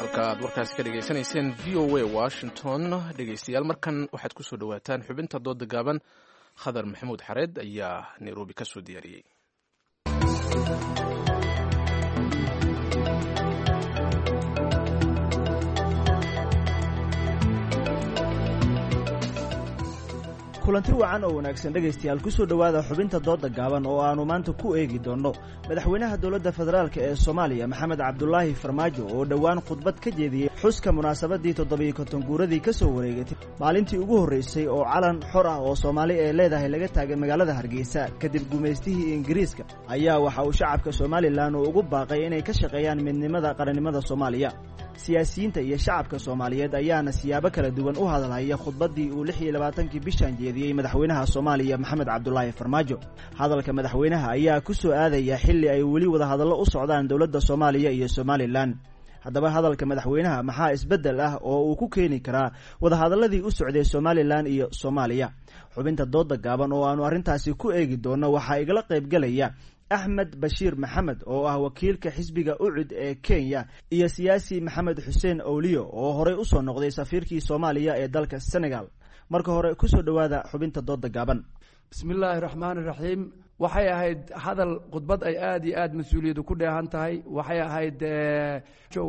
Halka aad warkaasi ka dhegaysanayseen V O A Washington. Dhegaystayaal, markan waxaad ku soo dhowaataan xubinta dooda gaaban. Khadar Maxamuud Xareed ayaa Nairobi ka soo diyaariyey. Kulanti wacan oo wanaagsan dhegaystayaal, kusoo dhowaada xubinta dooda gaaban oo aanu maanta ku eegi doonno madaxweynaha dowladda federaalk ee Soomaaliya Maxamed Cabdulaahi Farmaajo oo dhowaan khudbad ka jeediyey xuska munaasabadii 57 guuradii ka soo wareegatay maalintii ugu horreysay oo calan xor ah oo Soomaali ee leedahay laga taagay magaalada Hargeysa kadib gumaystihii Ingiriiska, ayaa waxa uu shacabka Somalilan uu ugu baaqay inay ka shaqeeyaan midnimada qarannimada Soomaaliya. Siyaasiyiinta iyo shacabka Soomaaliyeed ayaana siyaabo kala duwan u hadalhaya khudbaddii uu 26-kii bishan jeediyey madaxweynaha Soomaaliya Maxamed Cabdulaahi Farmaajo. Hadalka madaxweynaha ayaa ku soo aadaya xilli ay weli wadahadallo u socdaan dowladda Soomaaliya iyo Somalilan. Haddaba hadalka madaxweynaha maxaa isbeddel ah oo uu ku keeni karaa wadahadalladii u socday Somalilan iyo Soomaaliya? Xubinta dooda gaaban oo aanu arrintaasi ku eegi doonno waxaa igala qaybgelaya Axmed Bashiir Maxamed oo ah wakiilka xisbiga UCUD ee Kenya iyo siyaasi Maxamed Xuseen Owliyo oo horey usoo noqday safiirkii Soomaaliya ee dalka Senegal. Marka hore kusoo dhowaada xubinta dooda gaaban. Bismillaahi raxmaani raxiim. Waxay ahayd hadal khudbad ay aada iyo aada mas-uuliyadu ku dheehan tahay. Waxay ahayd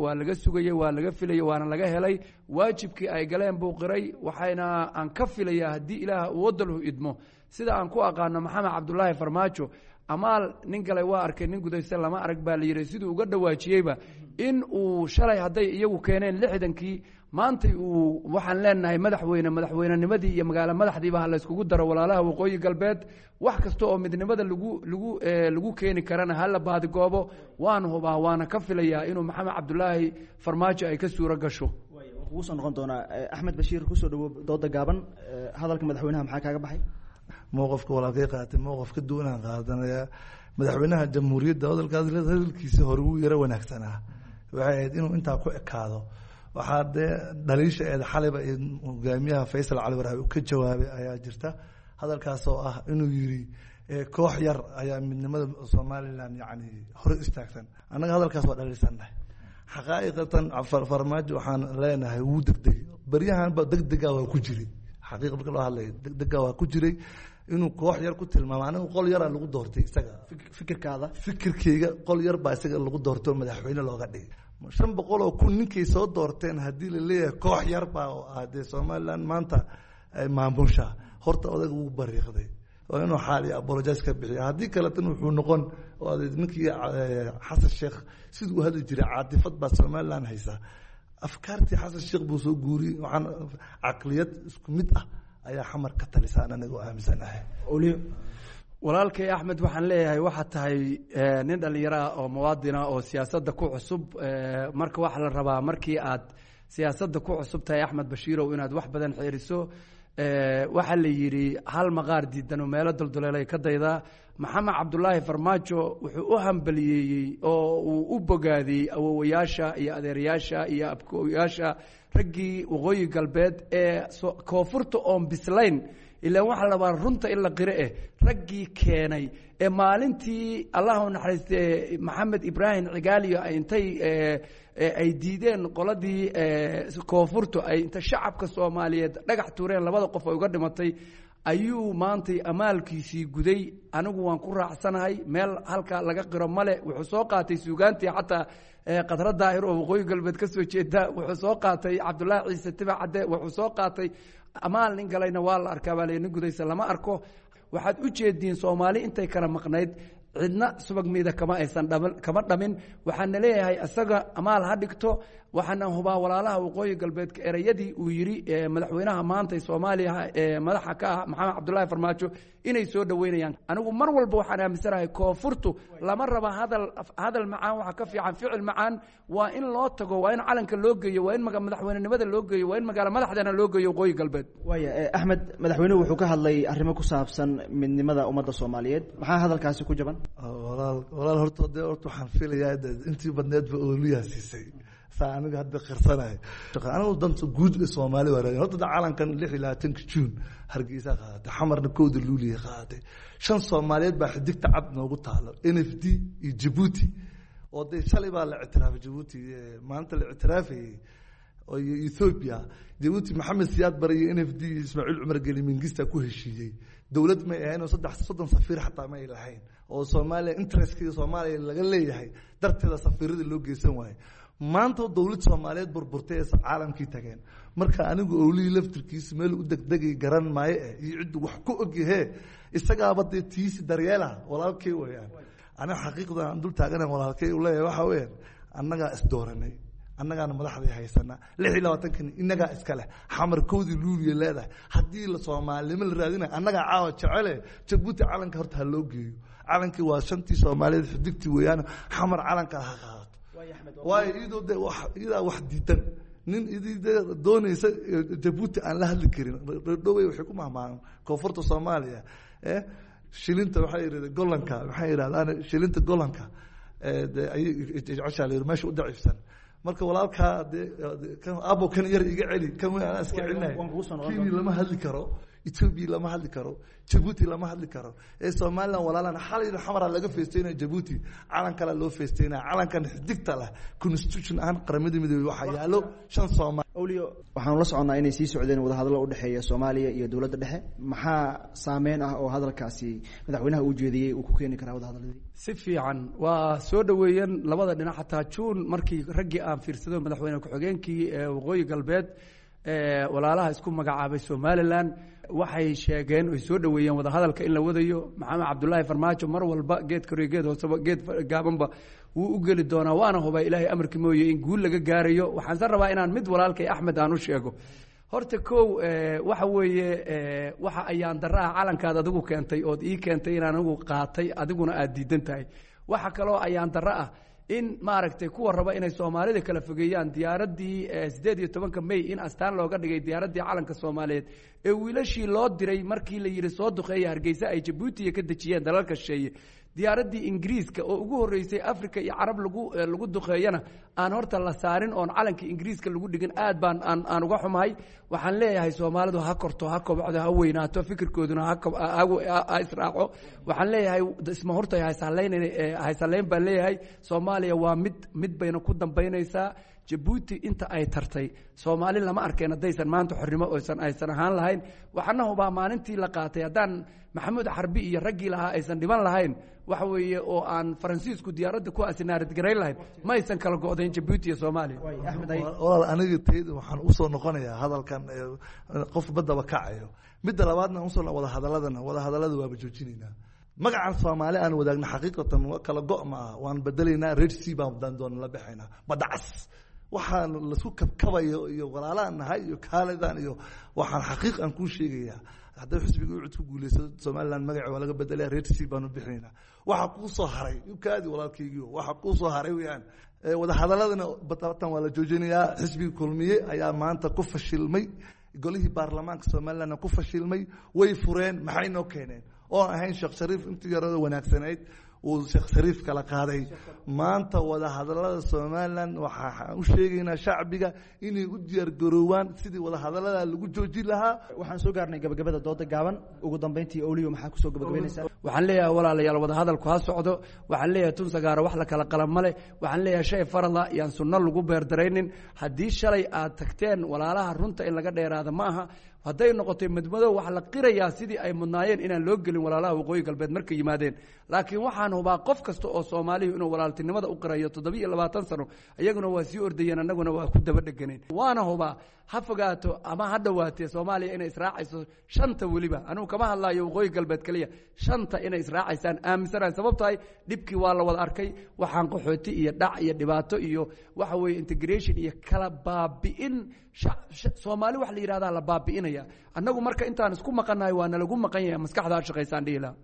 waa laga sugayey, waa laga filayey, waana laga helay. Waajibkii ay galeen buu qiray. Waxayna aan ka filayaa haddii Ilaah wadalhu idmo, sida aan ku aqaano Maxamed Cabdulaahi Farmaajo, amaal nin galay waa arkay, nin gudaysta lama arag baa la yidhi. Siduu uga dhawaajiyeyba in uu shalay hadday iyagu keeneen 60-kii, maantay uu waxaan leenahay madaxweyne, madaxweynenimadii iyo magaalo madaxdiiba ha layskugu daro walaalaha waqooyi galbeed. Wax kasta oo midnimada lagu keeni karana ha la baadigoobo. Waan hubaa waana ka filayaa inuu Maxamed Cabdulaahi Farmaajo ay ka suuro gasho. Kugu soo noqon doonaa. Axmed Bashiir, kusoo dhawo dooda gaaban. Hadalka madaxweynaha maxaa kaaga baxay? Mowqafka walaalkay qaatay mowqaf ka duwanaan qaadanayaa. Madaxweynaha jamhuuriyadda hadalkaas hadalkiisa hore wuu yaro wanaagsanaa, waxay ahayd inuu intaa ku ekaado. Waxaa dee dhaliisha eed xaliba iyo hogaamiyaha Faysal Cali Waraabe uu ka jawaabay ayaa jirta, hadalkaas oo ah inuu yiri koox yar ayaa midnimada Somalilan yacni hore istaagsan. Annaga hadalkaas waa dhaliilsannahay xaqaa'iqatan. Farmaajo waxaan leenahay wuu degdegay baryahanba, degdega waa ku jiray. Xaqiiqa marka loo hadlayo degdega waa ku jiray inuu koox yar ku tilmaamo. Anigu qol yaraa lagu doortay isaga. Fikirkaada? Fikirkeyga qol yar baa isaga lagu doortay oo madaxweyne looga dhigay. 500,000 ninkay soo doorteen haddii la leeyahay koox yar baa oo ah dee Somaliland maanta ay maamushaa, horta odaga wuu bariiqday, waa inuu xaal iyo apologize ka bixiya. Haddii kaletan wuxuu noqon oo ninkii Xasan Sheekh siduu u hadli jiray, caatifad baa Somaliland haysaa. Afkaartii Xasan Sheekh buu soo guuriyey. Waxaan caqliyad isku mid ah ayaa Xamar ka talisaan aniga oo aaminsanahay. Walaalkay Axmed, waxaan leeyahay waxaad tahay nin dhallinyaro ah oo muwaadina oo siyaasadda ku cusub. Marka waxaa la rabaa markii aad Siyaasadda ku cusub tahay, Axmed Bashiirow, inaad wax badan xeeriso. Waxaa la yidhi hal maqaar diidan oo meelo dulduleelay ka daydaa. Maxamed Cabdulaahi Farmaajo wuxuu u hambaliyeeyey oo uu u bogaadiyey awowayaasha iyo adeerayaasha iyo abkooyaasha raggii Waqooyi Galbeed ee koonfurta oon bislayn. Ilaan waxaa labaa runta in la qiro eh, raggii keenay ee maalintii, Allah u naxariiste, Maxamed Ibraahim Cigaaliyo ay intay ay diideen qoladii koonfurtu, ay inta shacabka Soomaaliyeed dhagax tuureen, labada qof ay uga dhimatay, ayuu maantay amaalkiisii guday. Anigu waan ku raacsanahay, meel halka laga qiro male. Wuxuu soo qaatay suugaantii xataa Qadra Daahir oo Waqooyi Galbeed ka soo jeeda, wuxuu soo qaatay Cabdullaahi Ciise Tiba Cadde, wuxuu soo qaatay amaal nin galayna waa la arkaa baa la, nin gudaysa lama arko. Waxaad u jeediin Soomaali intay kala maqnayd cidna subag miida kama aysan dhamin, kama dhamin. Waxaana leeyahay isaga amaal ha dhigto. Waxaana hubaa walaalaha Waqooyi Galbeedka ereyadii uu yidhi madaxweynaha maanta Soomaaliya ee madaxa ka ah, Maxamed Cabdullaahi Farmaajo, inay soo dhoweynayaan. Anigu mar walba waxaan aaminsanahay koonfurtu lama raba hadal, hadal macaan waxa ka fiican ficil macaan. Waa in loo tago, waa in calanka loo geeyo, waa in madaxweynenimada loo geeyo, waa in magaalo madaxdana loo geeyo Waqooyi Galbeed. Waaya Axmed, madaxweynuhu wuxuu ka hadlay arrimo ku saabsan midnimada ummadda Soomaaliyeed. Maxaa hadalkaasi ku jaban? Walaal, walaal, horta de horta waxaan filayaa intii badneedba ooliyaa siisay, saa aniga hadda qirsanayo. Anigu danta guud ee Soomaali waa raadin. Horta da calankan 26-ka Juun Hargeysa qaadatay, Xamarna 1-da Luuliya qaadatay. Shan Soomaaliyeed baa xidigta cad noogu taalo, NFD iyo Jabuuti, oo dee shalay baa la ictiraafay Jabuuti, maanta la ictiraafayey, iyo Ethiopia. Jabuuti Maxamed Siyaad Bare iyo NFD iyo Ismaaciil Cumar Geli Mingista ku heshiiyey. Dowlad may ahayn oo 33 safiir xataa ma ay lahayn, oo Soomaaliya interestkii Soomaaliya laga leeyahay darteeda safiirada loo geysan waayey. Maanta dowlad Soomaaliyeed burburtay ee caalamkii tageen. Marka anigu owlihii laftirkiisu meel u degdegay garan maayo eh, iyo ciddu wax ku ogyahee, isagaaba dee tiisi daryeela walaalkay weeyaan. Aniga xaqiiqda aan dul taagana walaalkay u leeyahay waxa weeyaan, annagaa isdooranay, annagaana madaxdii haysana, 26-kan innagaa iska leh, Xamar 1-dii Luuliya leedahay. Haddii la Soomaalinimo la raadinayo, annagaa caawa jecele Jabuuti calanka horta ha loo geeyo. Calankii waa shantii Soomaaliyeed, xidigtii weeyaan, Xamar calanka ha qaadato. Waayo iyadoo de wax iyadaa wax diidan nin idii de doonaysa Jabuuti aan la hadli karin. Dhowey waxay ku mahmaahan koonfurta Soomaaliya shilinta, waxay yidhahdeen golanka, maxay yidhahdaan shilinta golanka de ayay jeceshaa la yidhi meesha u daciifsan. Marka walaalkaa de kan abo kan yar iga celi, kan weyn anaa iska celinaya. Kenya lama hadli karo, Ethiopia lama hadli karo, Jabuuti lama hadli karo ee Somaliland walaalan. Xalayna Xamaraa laga feesteynaya, Jabuuti calan kale loo feesteynaya, calankan xidigta leh constitution ahaan Qaramada Midoobey waxaa yaalo shan Soomaali. Awliyo, waxaanu la soconnaa inay sii socdeen wadahadallo udhexeeya Soomaaliya iyo dowladda dhexe. Maxaa saameyn ah oo hadalkaasi madaxweynaha uu jeediyey uu ku keeni karaa wadahadalladii? Si fiican waa soo dhoweeyeen labada dhinac. Xataa Juun markii raggii aan fiirsado, madaxweyne ku-xigeenkii Waqooyi Galbeed, walaalaha isku magacaabay Somaliland, waxay sheegeen oy soo dhoweeyeen wadahadalka in la wadayo. Maxamed Cabdulaahi Farmaajo mar walba geed koriyo geed hooseba geed gaabanba wuu u geli doonaa, waana hubaa Ilaahay amarkii mooye in guul laga gaarayo. Waxaanse rabaa inaan mid walaalkay Axmed aan u sheego. Horta kow, waxa weeye waxa ayaan daraha calankaad adigu keentay ood ii keentay inaan anigu qaatay, adiguna aad diidan tahay. Waxa kaloo ayaan darro ah in maaragtay kuwa raba inay Soomaalida kala fogeeyaan diyaaraddii 18-ka May in astaan looga dhigay diyaaraddii calanka Soomaaliyeed ee wiilashii loo diray markii la yidhi soo duqeeya Hargeysa ay Jabuutiya ka dejiyeen dalalka shisheeye. Diyaaraddii Ingiriiska oo ugu horreysay Africa iyo Carab lagu duqeeyana aan horta la saarin oon calanka Ingiriiska lagu dhigin, aad baan aan uga xumahay. Waxaan leeyahay Soomaalidu ha korto, ha kobcdo, ha weynaato, fikirkooduna ha israaco. Waxaan leeyahay isma horta haysallayn baan leeyahay. Soomaaliya waa mid, mid bayna ku dambaynaysaa. Jabuuti inta ay tartay Soomaali lama arkeen haddaysan maanta xornimo oysan aysan ahaan lahayn. Waxaana hubaa maalintii la qaatay haddaan Maxamuud Xarbi iyo raggii lahaa aysan dhiban lahayn, waxa weeye oo aan Faransiisku diyaaradda ku asinaaradgarayn lahayn, ma aysan kala go'dayn Jabuuti iyo Soomaaliya. Walaal, aniga tayda waxaan usoo noqonayaa hadalkan qof baddaba kacayo. Midda labaadna usoo wada hadaladana, wada hadalada waaba joojinaynaa. Magacan Soomaali aan wadaagna xaqiiqatan kala go' ma ah, waan bedelaynaa. Red Sea baan doona la baxaynaa, badda cas waxaan lasku kabkabayo iyo walaalaan nahay iyo kaalidan iyo waxaan xaqiiq aan kuu sheegayaa, hadday xisbiga UCID ku guuleysto Somaliland magaca waa laga bedelaya, Red Sea baanu bixinaynaa. Waxa kuu soo haray ukaadi walaalkaygiio, waxa kuu soo haray weeyaan Wadahadaladana batatan waa la joojinayaa. Xisbigii Kulmiye ayaa maanta ku fashilmay, golihii baarlamaanka Somalilandna ku fashilmay. Way fureen, maxay noo keeneen oo ahayn Sheekh Shariif intii yarada wanaagsanayd uu Sheekh Shariif kala qaaday. Maanta wadahadalada Somaliland waxaan u sheegaynaa shacbiga inay u diyaargaroowaan sidii wadahadalada lagu joojin lahaa. Waxaan soo gaarnay gabagabada dooda gaaban. Ugu dambeyntii, Oliyo, maxaa kusoo gabagabaynaysaa? Waxaan leeyahay walaalayaal, wadahadalku ha socdo. Waxaan leeyahay tun sagaaro wax la kala qalan male. Waxaan leeyahay shay farala yaan sunno lagu beerdaraynin. Haddii shalay aad tagteen walaalaha, runta in laga dheeraada ma aha. Hadday noqotay madmadow, waxaa la qirayaa sidii ay mudnaayeen inaan loo gelin walaalaha Waqooyi Galbeed markay yimaadeen. Laakiin waxaan hubaa qof kasta oo Soomaaliyu inuu walaaltinimada u qirayo. 27 sano iyaguna waa sii ordayeen, annaguna waa ku daba dheganeen. Waana hubaa, ha fogaato ama ha dhowaatee, Soomaaliya inay israacayso shanta. Weliba anugu kama hadlaayo Waqooyi Galbeed keliya, shanta inay israacaysaan aaminsanahay. Sababtahay dhibkii waa la wada arkay. Waxaan qaxooti iyo dhac iyo dhibaato iyo waxa weeye integration iyo kala baabi'in Soomaali wax la yidhahdaa la baabi'inaya. Annagu marka intaan isku maqannahay waa nalagu maqan yahay. Maskaxdaa shaqaysaan dhihi lahaa.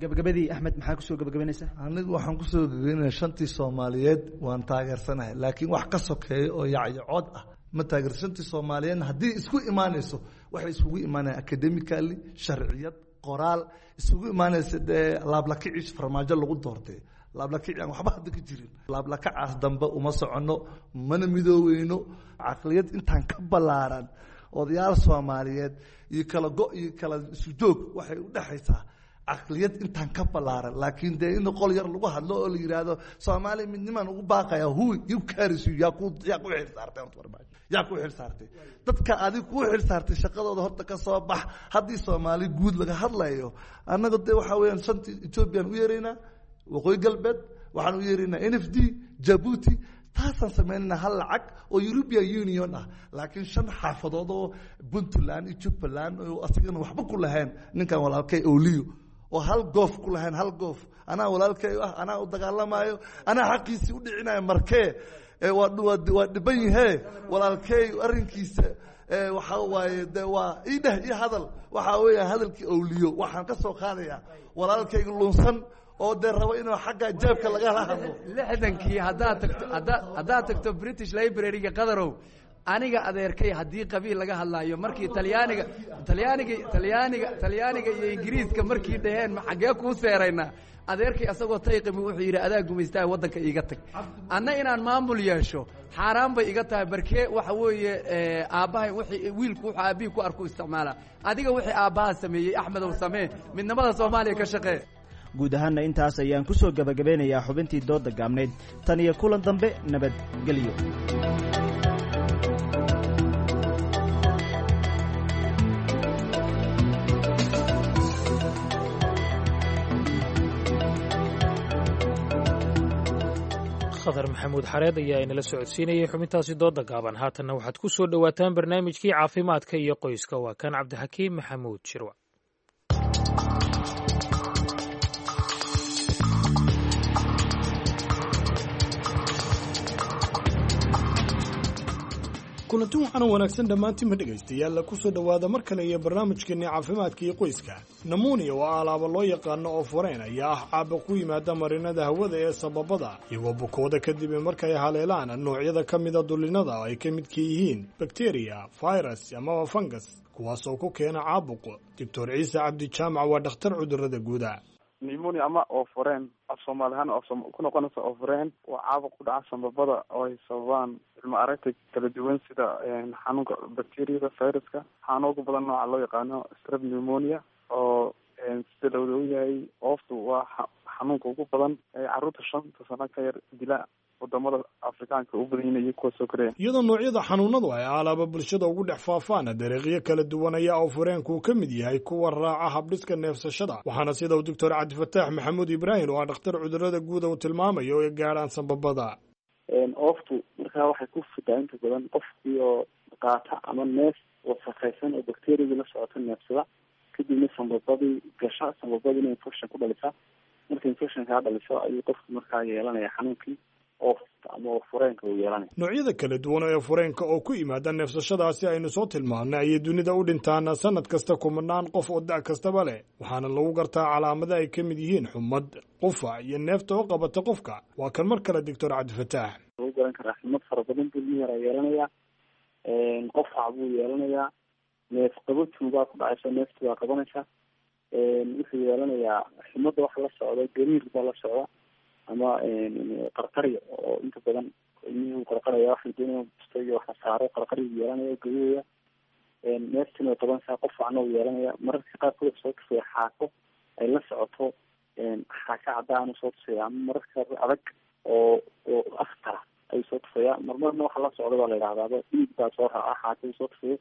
Gabagabadii, Axmed, maxaa kusoo gabagabaynaysaa? Anigu waxaan kusoo gabagabaynaya, shantii Soomaaliyeed waan taageersanahay, laakiin wax ka sokeeya oo yacyacood ah ma taageer. Shantii Soomaaliyeedna haddii isku imaanayso, waxay iskugu imaanayaan academically, sharciyad qoraal isugu imaanaysa. Dee laablakaciis Farmaajo lagu doortay, laablakaci aan waxba hadda ka jirin, laablakacaas dambe uma soconno, mana midooweyno. Caqliyad intaan ka ballaaran odayaal Soomaaliyeed iyo kala go iyo kala isu joog waxay u dhexaysaa caqliyad intaan ka ballaaran. Laakiin dee in qol yar lagu hadlo oo la yidhaahdo Soomaaliya midnimaan ugu baaqaya, who you carries you? Yaa ku xil saartay horta Farmaajo? Yaa ku xil saartay? Dadka adig ku xil saartay shaqadooda horta ka soo bax. Haddii Soomaali guud laga hadlayo, annaga dee waxaa weeyaan shantii Ethoobiyan u yeeraynaa, Waqooyi Galbeed waxaan u yeeraynaa, NFD, Jabuuti, taasaan samaynayna, hal lacag oo European Union ah. Laakiin shan xaafadood oo Puntland iyo Jubbaland oo asagana waxba ku lahayn, ninkan walaalkay Oliyo oo hal goof ku lahayn, hal goof, anaa walaalkay ah, anaa u dagaalamayo, anaa xaqiisii u dhicinayo. Markee waa dhiban yahee walaalkay arrinkiisa waxaa waaye de waa ii dheh ii hadal. Waxaa weeya hadalkii Owliyo waxaan ka soo qaadayaa walaalkayga lunsan oo dee rabo inuu xagga jeebka lagala hadlo. 60-kii haddaad tagto, haddaad tagto British Library-ga, Qadarow, aniga adeerkay haddii qabiil laga hadlaayo, markii Talyaaniga iyo Ingiriiska markii dhaheen ma xaggee kuu seeraynaa, adeerkay asagoo tayqimi wuxuu yidhi adaa gumaystaa, waddanka iiga tag, anna inaan maamul yeesho xaaraan bay iga tahay. Barkee waxa weeye aabbahay wixii wiilku wuxuu aabbihii ku arku isticmaalaa. Adiga wixii aabbaha sameeyey, Axmedow, samee, midnimada Soomaaliya ka shaqee. Guud ahaanna intaas ayaan ku soo gabagabeynayaa xubintii doodda gaabnayd. Tan iyo kulan dambe, nabadgelyo. Khadar Maxamuud Xareed ayaa inala socodsiinayay xubintaasi dooda gaaban. Haatanna waxaad ku soo dhowaataan barnaamijkii caafimaadka iyo qoyska. Waa kan Cabdixakiim Maxamuud Shirwac. Kulanti waxaana wanaagsan dhammaantiinma dhegaystayaal, ku soo dhowaada mar kale iyo barnaamijkeenni caafimaadka iyo qoyska. Namuuniya oo alaaba loo yaqaano oo fureen ayaa ah caabuq ku yimaada marinada hawada ee sababada, iyagoo bukooda kadib markay haleelaan noocyada ka mida dulinada oo ay ka midka yihiin bakteriya, virus amaba fangas, kuwaas oo ku keena caabuq. Doctor Ciise Cabdi Jaamac waa dhakhtar cudurrada guuda. Pneumonia ama ooforeen, af Soomaali ahaan ku noqonaysa ooforeen, waa caabuq ku dhaca sambabada oo ay sababaan cilmi aragta kala duwan, sida xanuunka bacteriyada, viruska. Waxaana ugu badan nooca loo yaqaano strep pneumonia, oo sida lawada ogyahay ooftu waa xanuunka ugu badan ee carruurta 5-ta sano ka yar dila, wadamada Afrikaanka u badan yihiin iyo kuwa soo koraya. Iyadoo noocyada xanuunadu ay alaaba bulshada ugu dhex faafaan dariiqyo kala duwan ayaa ooforeenku ka mid yahay kuwa raaca habdhiska neefsashada, waxaana sida uu Doctor Cabdifataax Maxamuud Ibraahim oo ah dhakhtar cudurrada guuda uu tilmaamayo ay gaadhaan sambabada. Ooftu markaa waxay ku fidaa inta badan qofkii oo qaata ama neef wasakhaysan oo bacteriyadii la socota neefsada, kadibna sambabadii gasha, sambabadiina infection ku dhalisa. Marka infection kaa dhaliso ayuu qofku markaa yeelanaya xanuunkii. oofta ama oofureenka uu yeelanaya. Noocyada kala duwan ee fureenka oo ku yimaada neefsashadaasi aynu soo tilmaamnay ayay dunida u dhintaan sanad kasta kumanaan qof oo da' kastaba leh, waxaana lagu gartaa calaamada ay ka mid yihiin xumad, qufac iyo neefta oo qabata qofka. Waa kan mar kale Doctor Cabdifataax. Lagu garan karaa xumad fara badan buu ilmihi yaraa yeelanayaa, qufac buu yeelanayaa, neef qabatuu baa ku dhacaysa, neeftu baa qabanaysa, wuxuu yeelanayaa xumadda waxa la socda gariir baa la socda ama qarqarya oo inta badan ilmihii uu qarqaraya, wax la doonaya busto iyo wax la saaro, qarqaryu yeelanaya, gariiraya, neeftina way qabanaysaa, qufacna uu yeelanaya. Mararka qaarkood wuxuu soo tusaya xaako ay la socoto, xaako cadaan uu soo tusaya, ama mararka qaarkood adag oo akhtara ayuu soo tusaya. Marmarna waxa la socda baa la yidhahdaaba dhiig baa soo raaca xaako uu soo tusayo.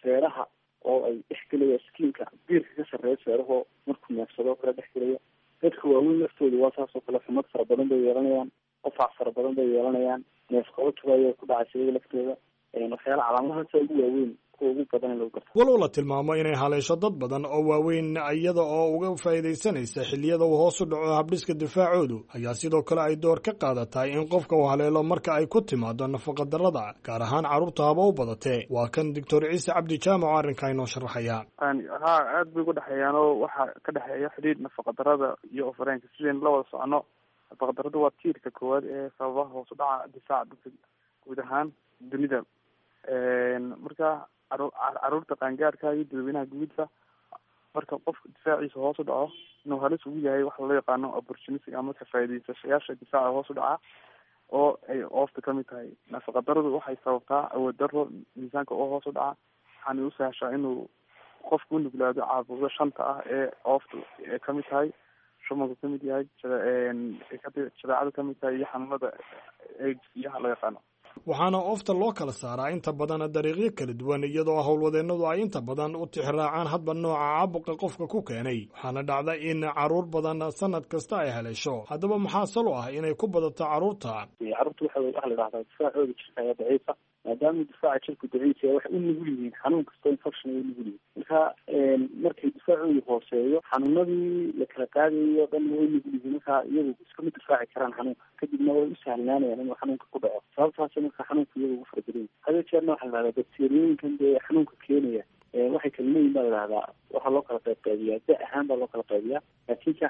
Feeraha oo ay dhex gelaya skiinka biirka ka sarreeya feerahoo markuu neefsado kala dhex gelaya. Dadka waaweyn laftooda waa saas oo kale, xumad fara badan bay yeelanayaan, qufac fara badan bay yeelanayaan, neef qabatuba ayaa ku dhacaysa iyaga laftooda. Waxyaala calaamadahaasa ugu waaweyn, kuwa ugu badan in lagu garto. Walow la tilmaamo inay haleesho dad badan oo waaweyn iyada oo uga faa'iidaysanaysa xilliyada uu hoos u dhaco habdhiska difaacoodu, ayaa sidoo kale ay door ka qaadatahay in qofka uu haleelo marka ay ku timaado nafaqadarrada, gaar ahaan carruurta haba u badatee. Waa kan Doctor Ciise Cabdi Jaamac oo arrinkaa inoo sharaxaya. Ha, aada bay uga dhexeeyaan oo waxaa ka dhexeeya xidhiidh nafaqadarrada iyo ofareenka. Sidaynu la wada socono, nafaqadarradu waa tiirka koowaad ee sababaha hoos u dhaca difaaca dadka guud ahaan dunida. Marka caruurta qaangaarka iyo dadweynaha guudba, marka qofka difaaciisa hoos u dhaco, inuu halis ugu yahay waxa loo yaqaano opportunistic ama ka faa'iidaysashayaasha difaaca hoos u dhaca oo ay oofta kamid tahay. Nafaqadarradu waxay sababtaa awood darro, miisaanka oo hoos u dhaca, waxaana u sahashaa inuu qofku u nuglaado caabuqyo shanta ah ee ooftu ay kamid tahay, shumanku kamid yahay, jadeecadu kamid tahay iyo xanuunada AIDS iyaha loo yaqaano. Waxaana oofta loo kala saaraa inta badan dariiqyo kala duwan, iyadoo howlwadeennadu ay inta badan u tixraacaan hadba nooca caabuqa qofka ku keenay. Waxaana dhacda in carruur badan sanad kasta ay haleesho. Haddaba maxaa salo ah inay ku badato carruurta? Carruurta waxa la dhahdaa difaacooda jirka ayaa daciifa. Maadaama difaaca jirku daciif yahay, waxay u nugul yihiin xanuun kastoo infection ay u nugul yihiin. Marka markay difaacoodu hooseeyo, xanuunadii la kala qaadayo dhan way u nugul yihiin. Marka iyagu iskama difaaci karaan xanuunka, kadibna way u sahlanaanayaan inuu xanuunka ku dhaco. Sababtaas marka xanuunka iyaga ugu farabadan yahay. Hadee jeerna waxaa la dhahdaa bakteeriyooyinkan dee xanuunka keenaya waxay kala leeyihin baa la dhahdaa, waxaa loo kala qaybqaybiyaa da ahaan baa loo kala qaybiyaa, laakiin ka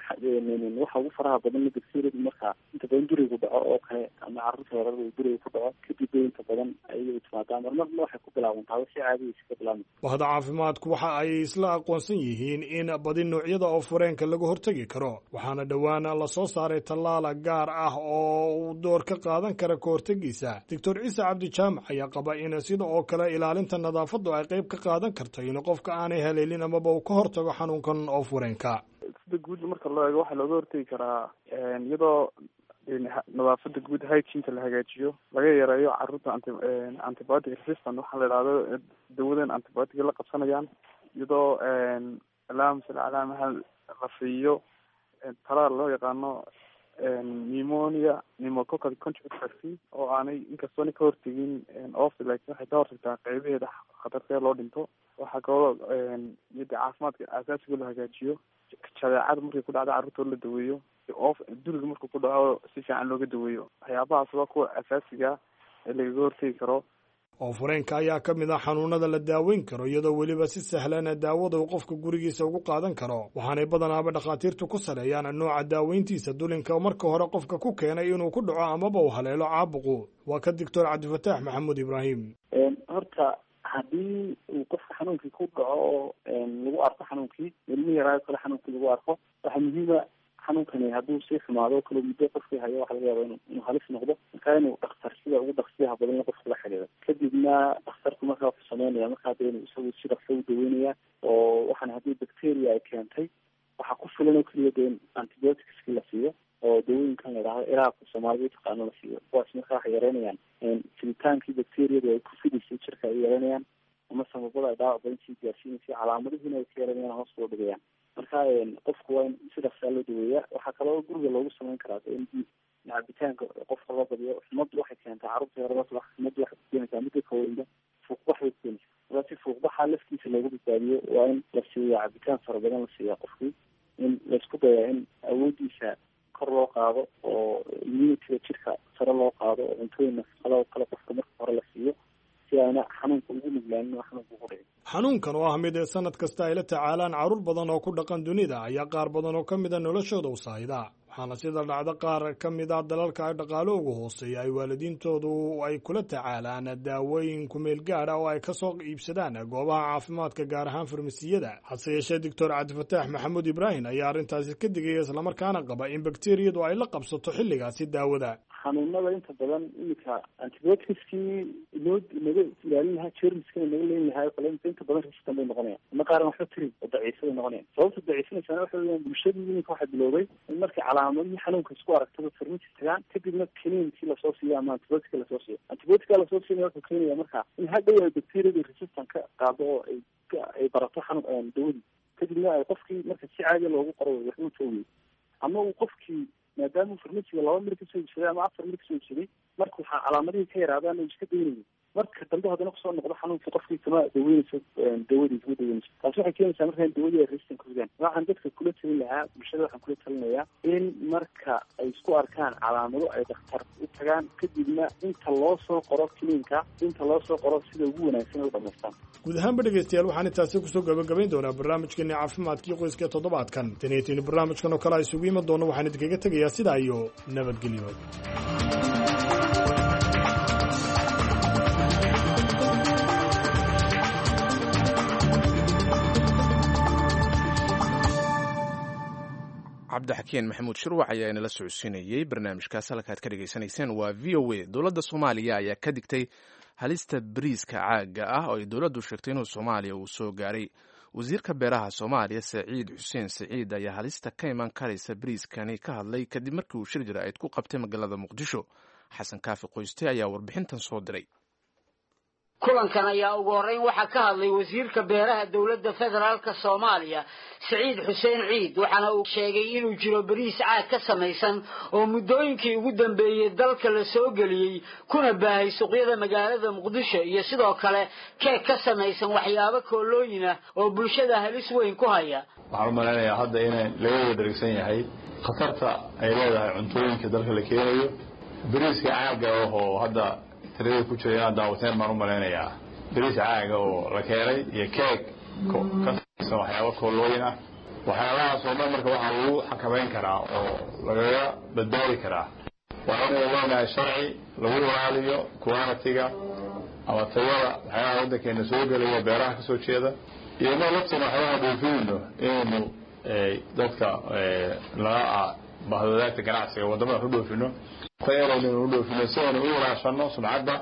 waxa ugu faraha badan bakteriyadu marka inta badan durigu dhaco oo kale ama carruurta yaryar uu duriga ku dhaco, kadib bay inta badan ayay timaadaa. Marmarna waxay ku bilaabantaa si caadigiisa ka bilaabma. Bahda caafimaadku waxa ay isla aqoonsan yihiin in badi noocyada oo fureenka laga hortegi karo, waxaana dhowaan la soo saaray tallaala gaar ah oo uu door ka qaadan kara ka hortegiisa. Doctor Ciise Cabdi Jaamac ayaa qaba in sida oo kale ilaalinta nadaafaddu ay qayb ka qaadan karto in qofka aanay haleelin amaba uu ka hortago xanuunkan oo fureenka. Sida guud marka loo eego, waxaa looga hortegi karaa iyadoo nadaafada guud, hygiene-ka la hagaajiyo, laga yareeyo carruurta antibiotic resistant waxaa la idhahdo, dawadan antibiotic la qabsanayaan, iyadoo allahuma salli calaa maxamed la siiyo talaal loo yaqaano pneumonia pneumococcal conjugate vaccine, oo aanay inkastoona ka hortegin oofta, laakiin waxay ka hortagtaa qeybaheeda khatartee loo dhinto. Waxaa kaloo iyo de caafimaadka asaasiga loo hagaajiyo, jadeecada markay ku dhacdo carruurta la daweeyo, oof duriga markuu ku dhaco si fiican looga daweeyo. Waxyaabahaas waa kuwa asaasiga ee lagaga hortegi karo. Oo fureenka ayaa ka mid ah xanuunada la daaweyn karo, iyadoo weliba si sahlana daawada uu qofka gurigiisa ugu qaadan karo. Waxaanay badanaaba dhakhaatiirtu ku saleeyaan nooca daaweyntiisa dulinka marka hore qofka ku keenay inuu ku dhaco amaba uu haleelo caabuqu. Waa ka Doctor Cabdifataax Maxamuud Ibraahim. Horta haddii uu qofka xanuunkii ku dhaco oo lagu arko xanuunkii ilmi yaraayo kale xanuunkii lagu arko, waxaa muhiima xanuunkani hadduu sii xumaado kale muddo qofkii hayo, waxa laga yaaba inuu halis noqdo. Marka inuu dhakhtar sida ugu dhaqsiyaha badan qofka la xiriiro, kadibna dhakhtarku markaa wuxuu sameynaya markaa de inuu isagu si dhaqso u daweynaya. Oo waxaan haddii bacteria ay keentay, waxaa ku filan oo keliya de in antibioticski la siiyo oo dawooyinkan la idhahdo iraabka soomaalida utaqaano la siiyo. Kuwaas marka waxay yareynayaan fiditaankii bacteriyadu ay ku fidaysay jirka ay yareynayaan, ama sababada ay dhaawac badan sii gaarsiinaysay, calaamadihiina ay ka yareynayaan, hoos loo dhigayaan. Marka qofku waa in si dhaqsaa loo daweeyaa. Waxaa kaloo guriga loogu sameyn karaa in cabitaanka qofka loo badiyo. Xumaddu waxay keentaa carruurta yarada xumaddu waxay ku keenaysaa midda kaweynba fuuqbax bay ku keenaysaa. Marka si fuuqbaxa laftiisa loogu badbaadiyo, waa in la siiya cabitaan fara badan la siiyaa qofkii, in laisku dayaa in awoodiisa kor loo qaado oo immunityga jirka sare loo qaado oo cuntooyin nafaqada oo kale qofka marka hore la siiyo si aana xanuunka ugu nuglaanin oo xanuunka ugu dhicin. Xanuunkan oo ah mid ee sanad kasta ay la tacaalaan carruur badan oo ku dhaqan dunida ayaa qaar badan oo ka mida noloshooda u saayida, waxaana sida dhacdo qaar ka mid ah dalalka ay dhaqaalo ugu hooseeya ay waalidiintoodu ay kula tacaalaan daawooyin kumeel gaara oo ay ka soo iibsadaan goobaha caafimaadka, gaar ahaan farmasiyada. Hase yeeshee Doctor Cabdifataax Maxamuud Ibraahim ayaa arrintaasi ka digaya, islamarkaana qaba in bakteriyadu ay la qabsato xilligaasi daawada. Xanuunada inta badan iminka antibioticskii inoo naga ilaalin lahaa jermiskana naga leyn lahaa oo kale inta badan resistant bay noqonayaan, ama qaarna waxba tirin oo daciifo bay noqonayaan. Sababta daciifinaysaana waxa weeyaan bulshadii iminka waxaa bilowday in markay calaamadihii xanuunka isku aragtaba farmasi tagaan, kadibna kaniinkii lasoo siiyo ama antibiotica lasoo siiyo. Antibiotica lasoo siinaya wuxuu keenaya marka in hadhow ay bacteriadu resistant ka qaado oo ay barato xanuun dawadii, kadibna ay qofkii marka si caadiya loogu qoro waxbuu joogay, ama uu qofkii maadaama farmasiga 2 mir kasoo iibsaday ama 4 mir kasoo iibsaday, marka waxaa calaamadihii ka yaraadaan uu iska daynayo, marka dambe haddana kusoo noqdo xanuunkii qofkii kama daweynayso dawadii kama daweynayso. Taasi waxay keenaysaa marka in dawadii ay resistant ku ridaan. Waxaan dadka kula talin lahaa, bulshada waxaan kula talinayaa in marka ay isku arkaan calaamado ay dhakhtar u tagaan, kadibna inta loo soo qoro kiniinka, inta loo soo qoro sida ugu wanaagsan ay u dhamaystaan. Guud ahaanba dhegeystayaal, waxaan intaasi kusoo gabagabayn doonaa barnaamijkeeni caafimaadkii qoyska toddobaadkan. Taniyo barnaamijkan oo kale a isugu iman doono, waxaan idinkaga tegayaa sidaa iyo nabadgelyo. Cabdixakiin Maxamuud Shirwac ayaa inala socodsiinayey barnaamijkaas. Halkaad ka dhegaysanayseen waa V O A. Dowladda Soomaaliya ayaa ka digtay halista bariiska caagga ah oo ay dowladdu sheegtay inuu Soomaaliya uu soo gaaray. Wasiirka beeraha Soomaaliya Saciid Xuseen Saciid ayaa halista ka iman karaysa bariiskani ka hadlay kadib markii uu shir jaraa'id ku qabtay magaalada Muqdisho. Xasan Kaafi Qoyste ayaa warbixintan soo diray. Kulankan ayaa ugu horreyn waxaa ka hadlay wasiirka beeraha dowladda federaalka Soomaaliya Saciid Xuseen Ciid, waxaana uu sheegay inuu jiro bariis caag ka samaysan oo muddooyinkii ugu dambeeyey dalka la soo geliyey kuna baahay suuqyada magaalada Muqdisho, iyo sidoo kale keeg ka samaysan waxyaabo koolooyin ah oo bulshada halis weyn ku haya. Waxaan u malaynayaa hadda in laga wada dhergsan yahay khatarta ay leedahay cuntooyinka dalka la keenayo. Bariiska caagga oo hadda tirada ku jira inaad daawateen baan u malaynayaa, bariis caaga oo la keenay iyo keeg ka samaysan waxyaabo koolooyin ah, waxyaabahaas oo dhan marka waxaa lagu xakamayn karaa oo lagaga badbaadi karaa waa inaynu leenahay sharci lagu ilaaliyo quality-ga ama tayada waxyaabaha waddankeena soo gelaya beeraha kasoo jeeda, iyo inoo lafteena waxyaabaha dhoofinayno inaynu dadka laga bahdadaagta ganacsiga waddamada wax u dhoofino tayadaynu u dhoofino si aynu u ilaashano sumcadda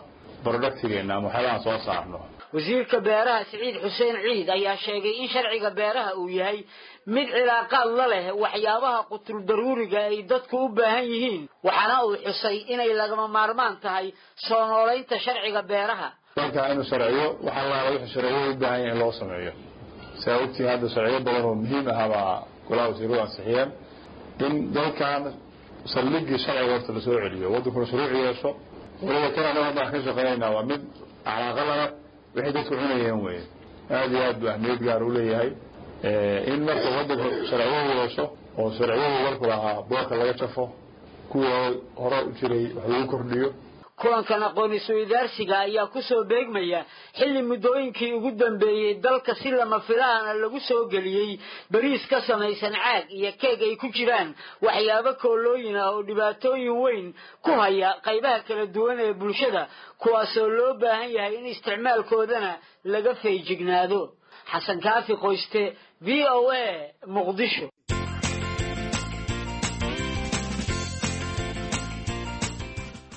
productigeena ama waxyaabahan soo saarno. Wasiirka beeraha Saciid Xuseen Ciid ayaa sheegay in sharciga beeraha uu yahay mid cilaaqaad la leh waxyaabaha qutul daruuriga ay dadku u baahan yihiin, waxaana uu xusay inay lagama maarmaan tahay soo noolaynta sharciga beeraha. Dalka inuu sharciyo waxa laala wuxuu sharciyo u baahan yahay in loo sameeyo. Saa ogtiin hadda sharciyo badan oo muhiim ah baa golaha wasiiradu ansixiyeen in dalkan saldhiggii sharciga horta lasoo celiyo, waddankuna shuruuc yeesho. Waliba kan anaga hadda aan ka shaqeynaynaa waa mid calaaqa lana wixii dadku cunayeen weye, aad iyo aad buu ahmiyad gaar u leeyahay in marka waddanku sharciyo yeesho oo sharciyadu dalku lahaa boorka laga jafo, kuwa hore u jiray wax lagu kordhiyo. Kulankan aqoon isweydaarsiga ayaa ku soo beegmaya xilli muddooyinkii ugu dambeeyey dalka si lama filaana lagu soo geliyey bariis ka samaysan caag iyo keeg ay ku jiraan waxyaabo koolooyin ah oo dhibaatooyin weyn ku haya qaybaha kala duwan ee bulshada, kuwaasoo loo baahan yahay in isticmaalkoodana laga feejignaado. Xasan Kaafi Qoyste, V O A, Muqdisho.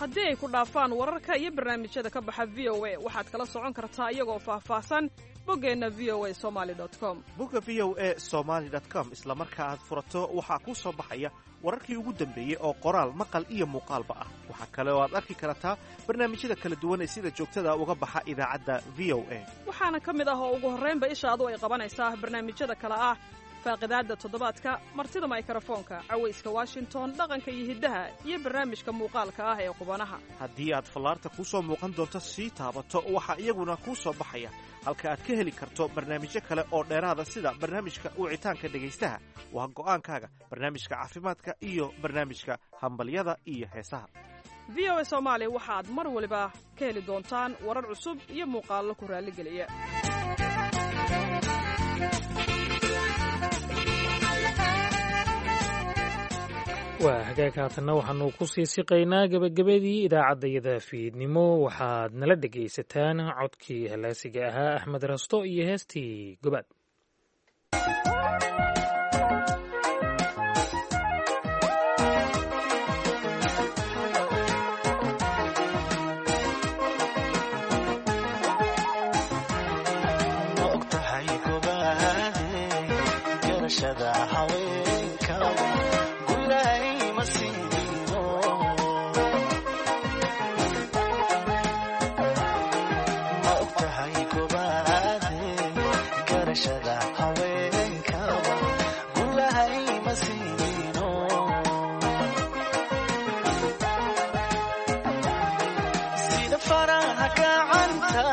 Haddii ay ku dhaafaan wararka iyo barnaamijyada ka baxa V O A, waxaad kala socon kartaa iyagoo faahfaahsan boggeenna V O A Somali com. Bogga V O A Somaly com isla marka aad furato waxaa kuu soo baxaya wararkii ugu dambeeyey oo qoraal, maqal iyo muuqaalba ah. Waxaa kale oo aad arki kartaa barnaamijyada kala duwan ee sida joogtada uga baxa idaacadda V O A. Waxaana ka mid ah oo ugu horraynba ishaadu ay qabanaysaa barnaamijyada kale ah faaqidaadda toddobaadka, martida maykarafoonka, cawayska Washington, dhaqanka iyo hiddaha, iyo barnaamijka muuqaalka ah ee qubanaha. Haddii aad fallaarta kuu soo muuqan doonto sii taabato, waxaa iyaguna kuu soo baxaya halka aad ka heli karto barnaamijyo kale oo dheeraada sida barnaamijka wicitaanka dhegaystaha, Waa go'aankaaga. Barnaamijka caafimaadka iyo barnaamijka hambalyada iyo heesaha. V O A Soomaali waxaad mar waliba ka heli doontaan warar cusub iyo muuqaallo ku raalligeliya. Waa hagaag, haatanna waxaanu ku sii siqaynaa gebagabadii idaacaddayada fiidnimo. Waxaad nala dhegaysataan codkii halaasiga ahaa Axmed Rasto iyo heestii Gobaad. Ma ogtahay gobaade garashada haweenka gulay ma siino? Ma ogtahay gobaade garashada haweenka gulay ma siino? Sida faraha gacanta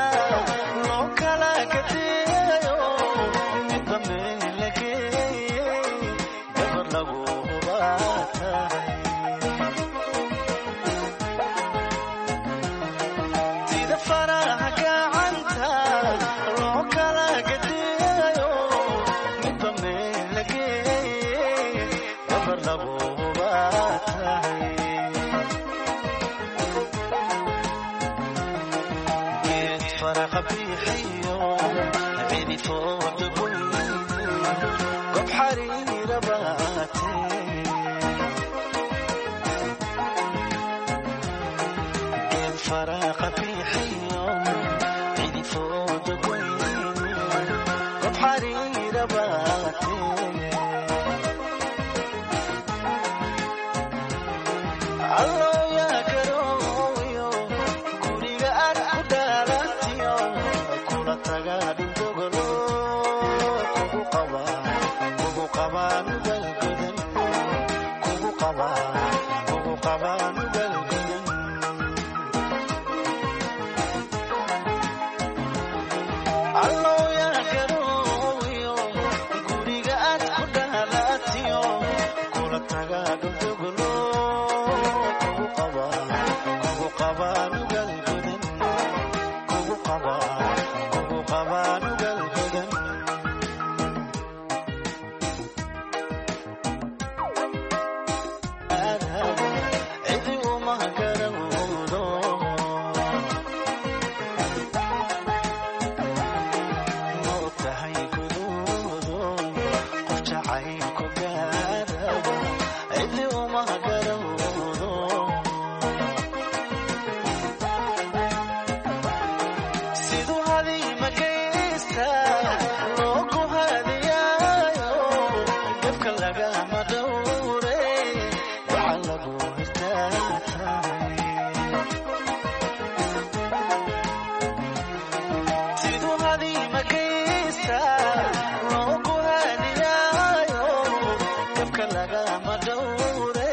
loo kala kadeeyo, midba meel la geeyey, gabar lagu hubaatahay. Sida faraha gacanta loo kala kadeeyo, midba meel la geeyey, gabar lagu hubaatahay. Geed faraqa bixiyo cidifooda goyne, gob xariira baate. Geed faraqa bixiyo cidifooda goyne, gob xariira baate. Allo yaa garooyo, guriga aad ku dhalatiyo, kula taga dhulgogolo, kugu qaba, kugu qaba nugal godan, kugu qaba, kugu qaba nugal godan. Allo yaa garooyo, guriga aad ku dhalatiyo, kula taga dhulgogolo, kugu qaba, kugu qaba nugal godan, kugu qaba, kugu qaba nugal godan. Cidi uma garawdo. Ma ogtahay guduudo qof jacaylku gaarabo, cidi uma garawdo. Siduu hadiima geysta loogu hadiyaayo, dabka lagama dhowre, waxaa lagu hirtaatahay. Siduu hadiima geysta loogu hadiyaayo, dabka lagama dhowre,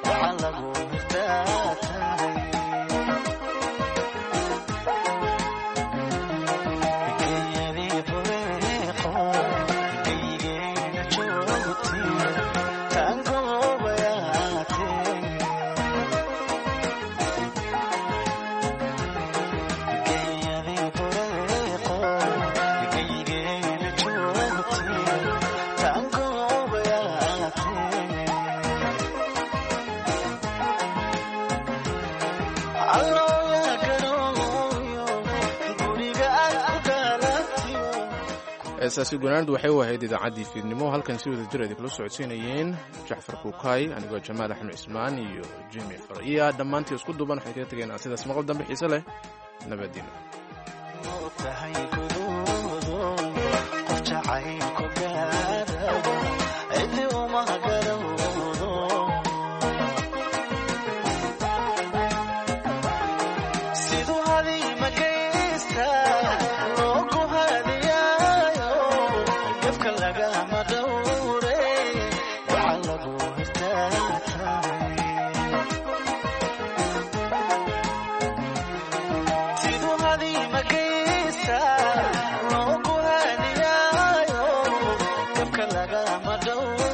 waxaa lagu hirtaatahay. Geeyadii bureeqo geygeena joogtiyo, taangoobayaatee. Geeyadii bureeqo geygeena joogtiyo, taangoobayaatee. Allo yaa garooyo, guriga aad ku dhalatiyo. Heesaasi gunaanadu waxay u ahayd idaacaddii fiidnimo. Halkan si wada jir idinkula socodsiinayeen Jacfar Kuukaay, anigoo Jamaal Axmed Cismaan iyo Jimi Farciya. Dhammaantii isku duuban waxay kaga tegeen sidaas maqal dambe xiise leh, nabadino. Ma ogtahay guduudo qof jacaylku gaarabo, cidi uma garawdo. Siduu hadiima geysta loogu hadiyaayo, gafka lagama dhowre, waxaa lagu hirtaatahay. Siduu hadiima geysta loogu hadiyaayo, lagama dhowre.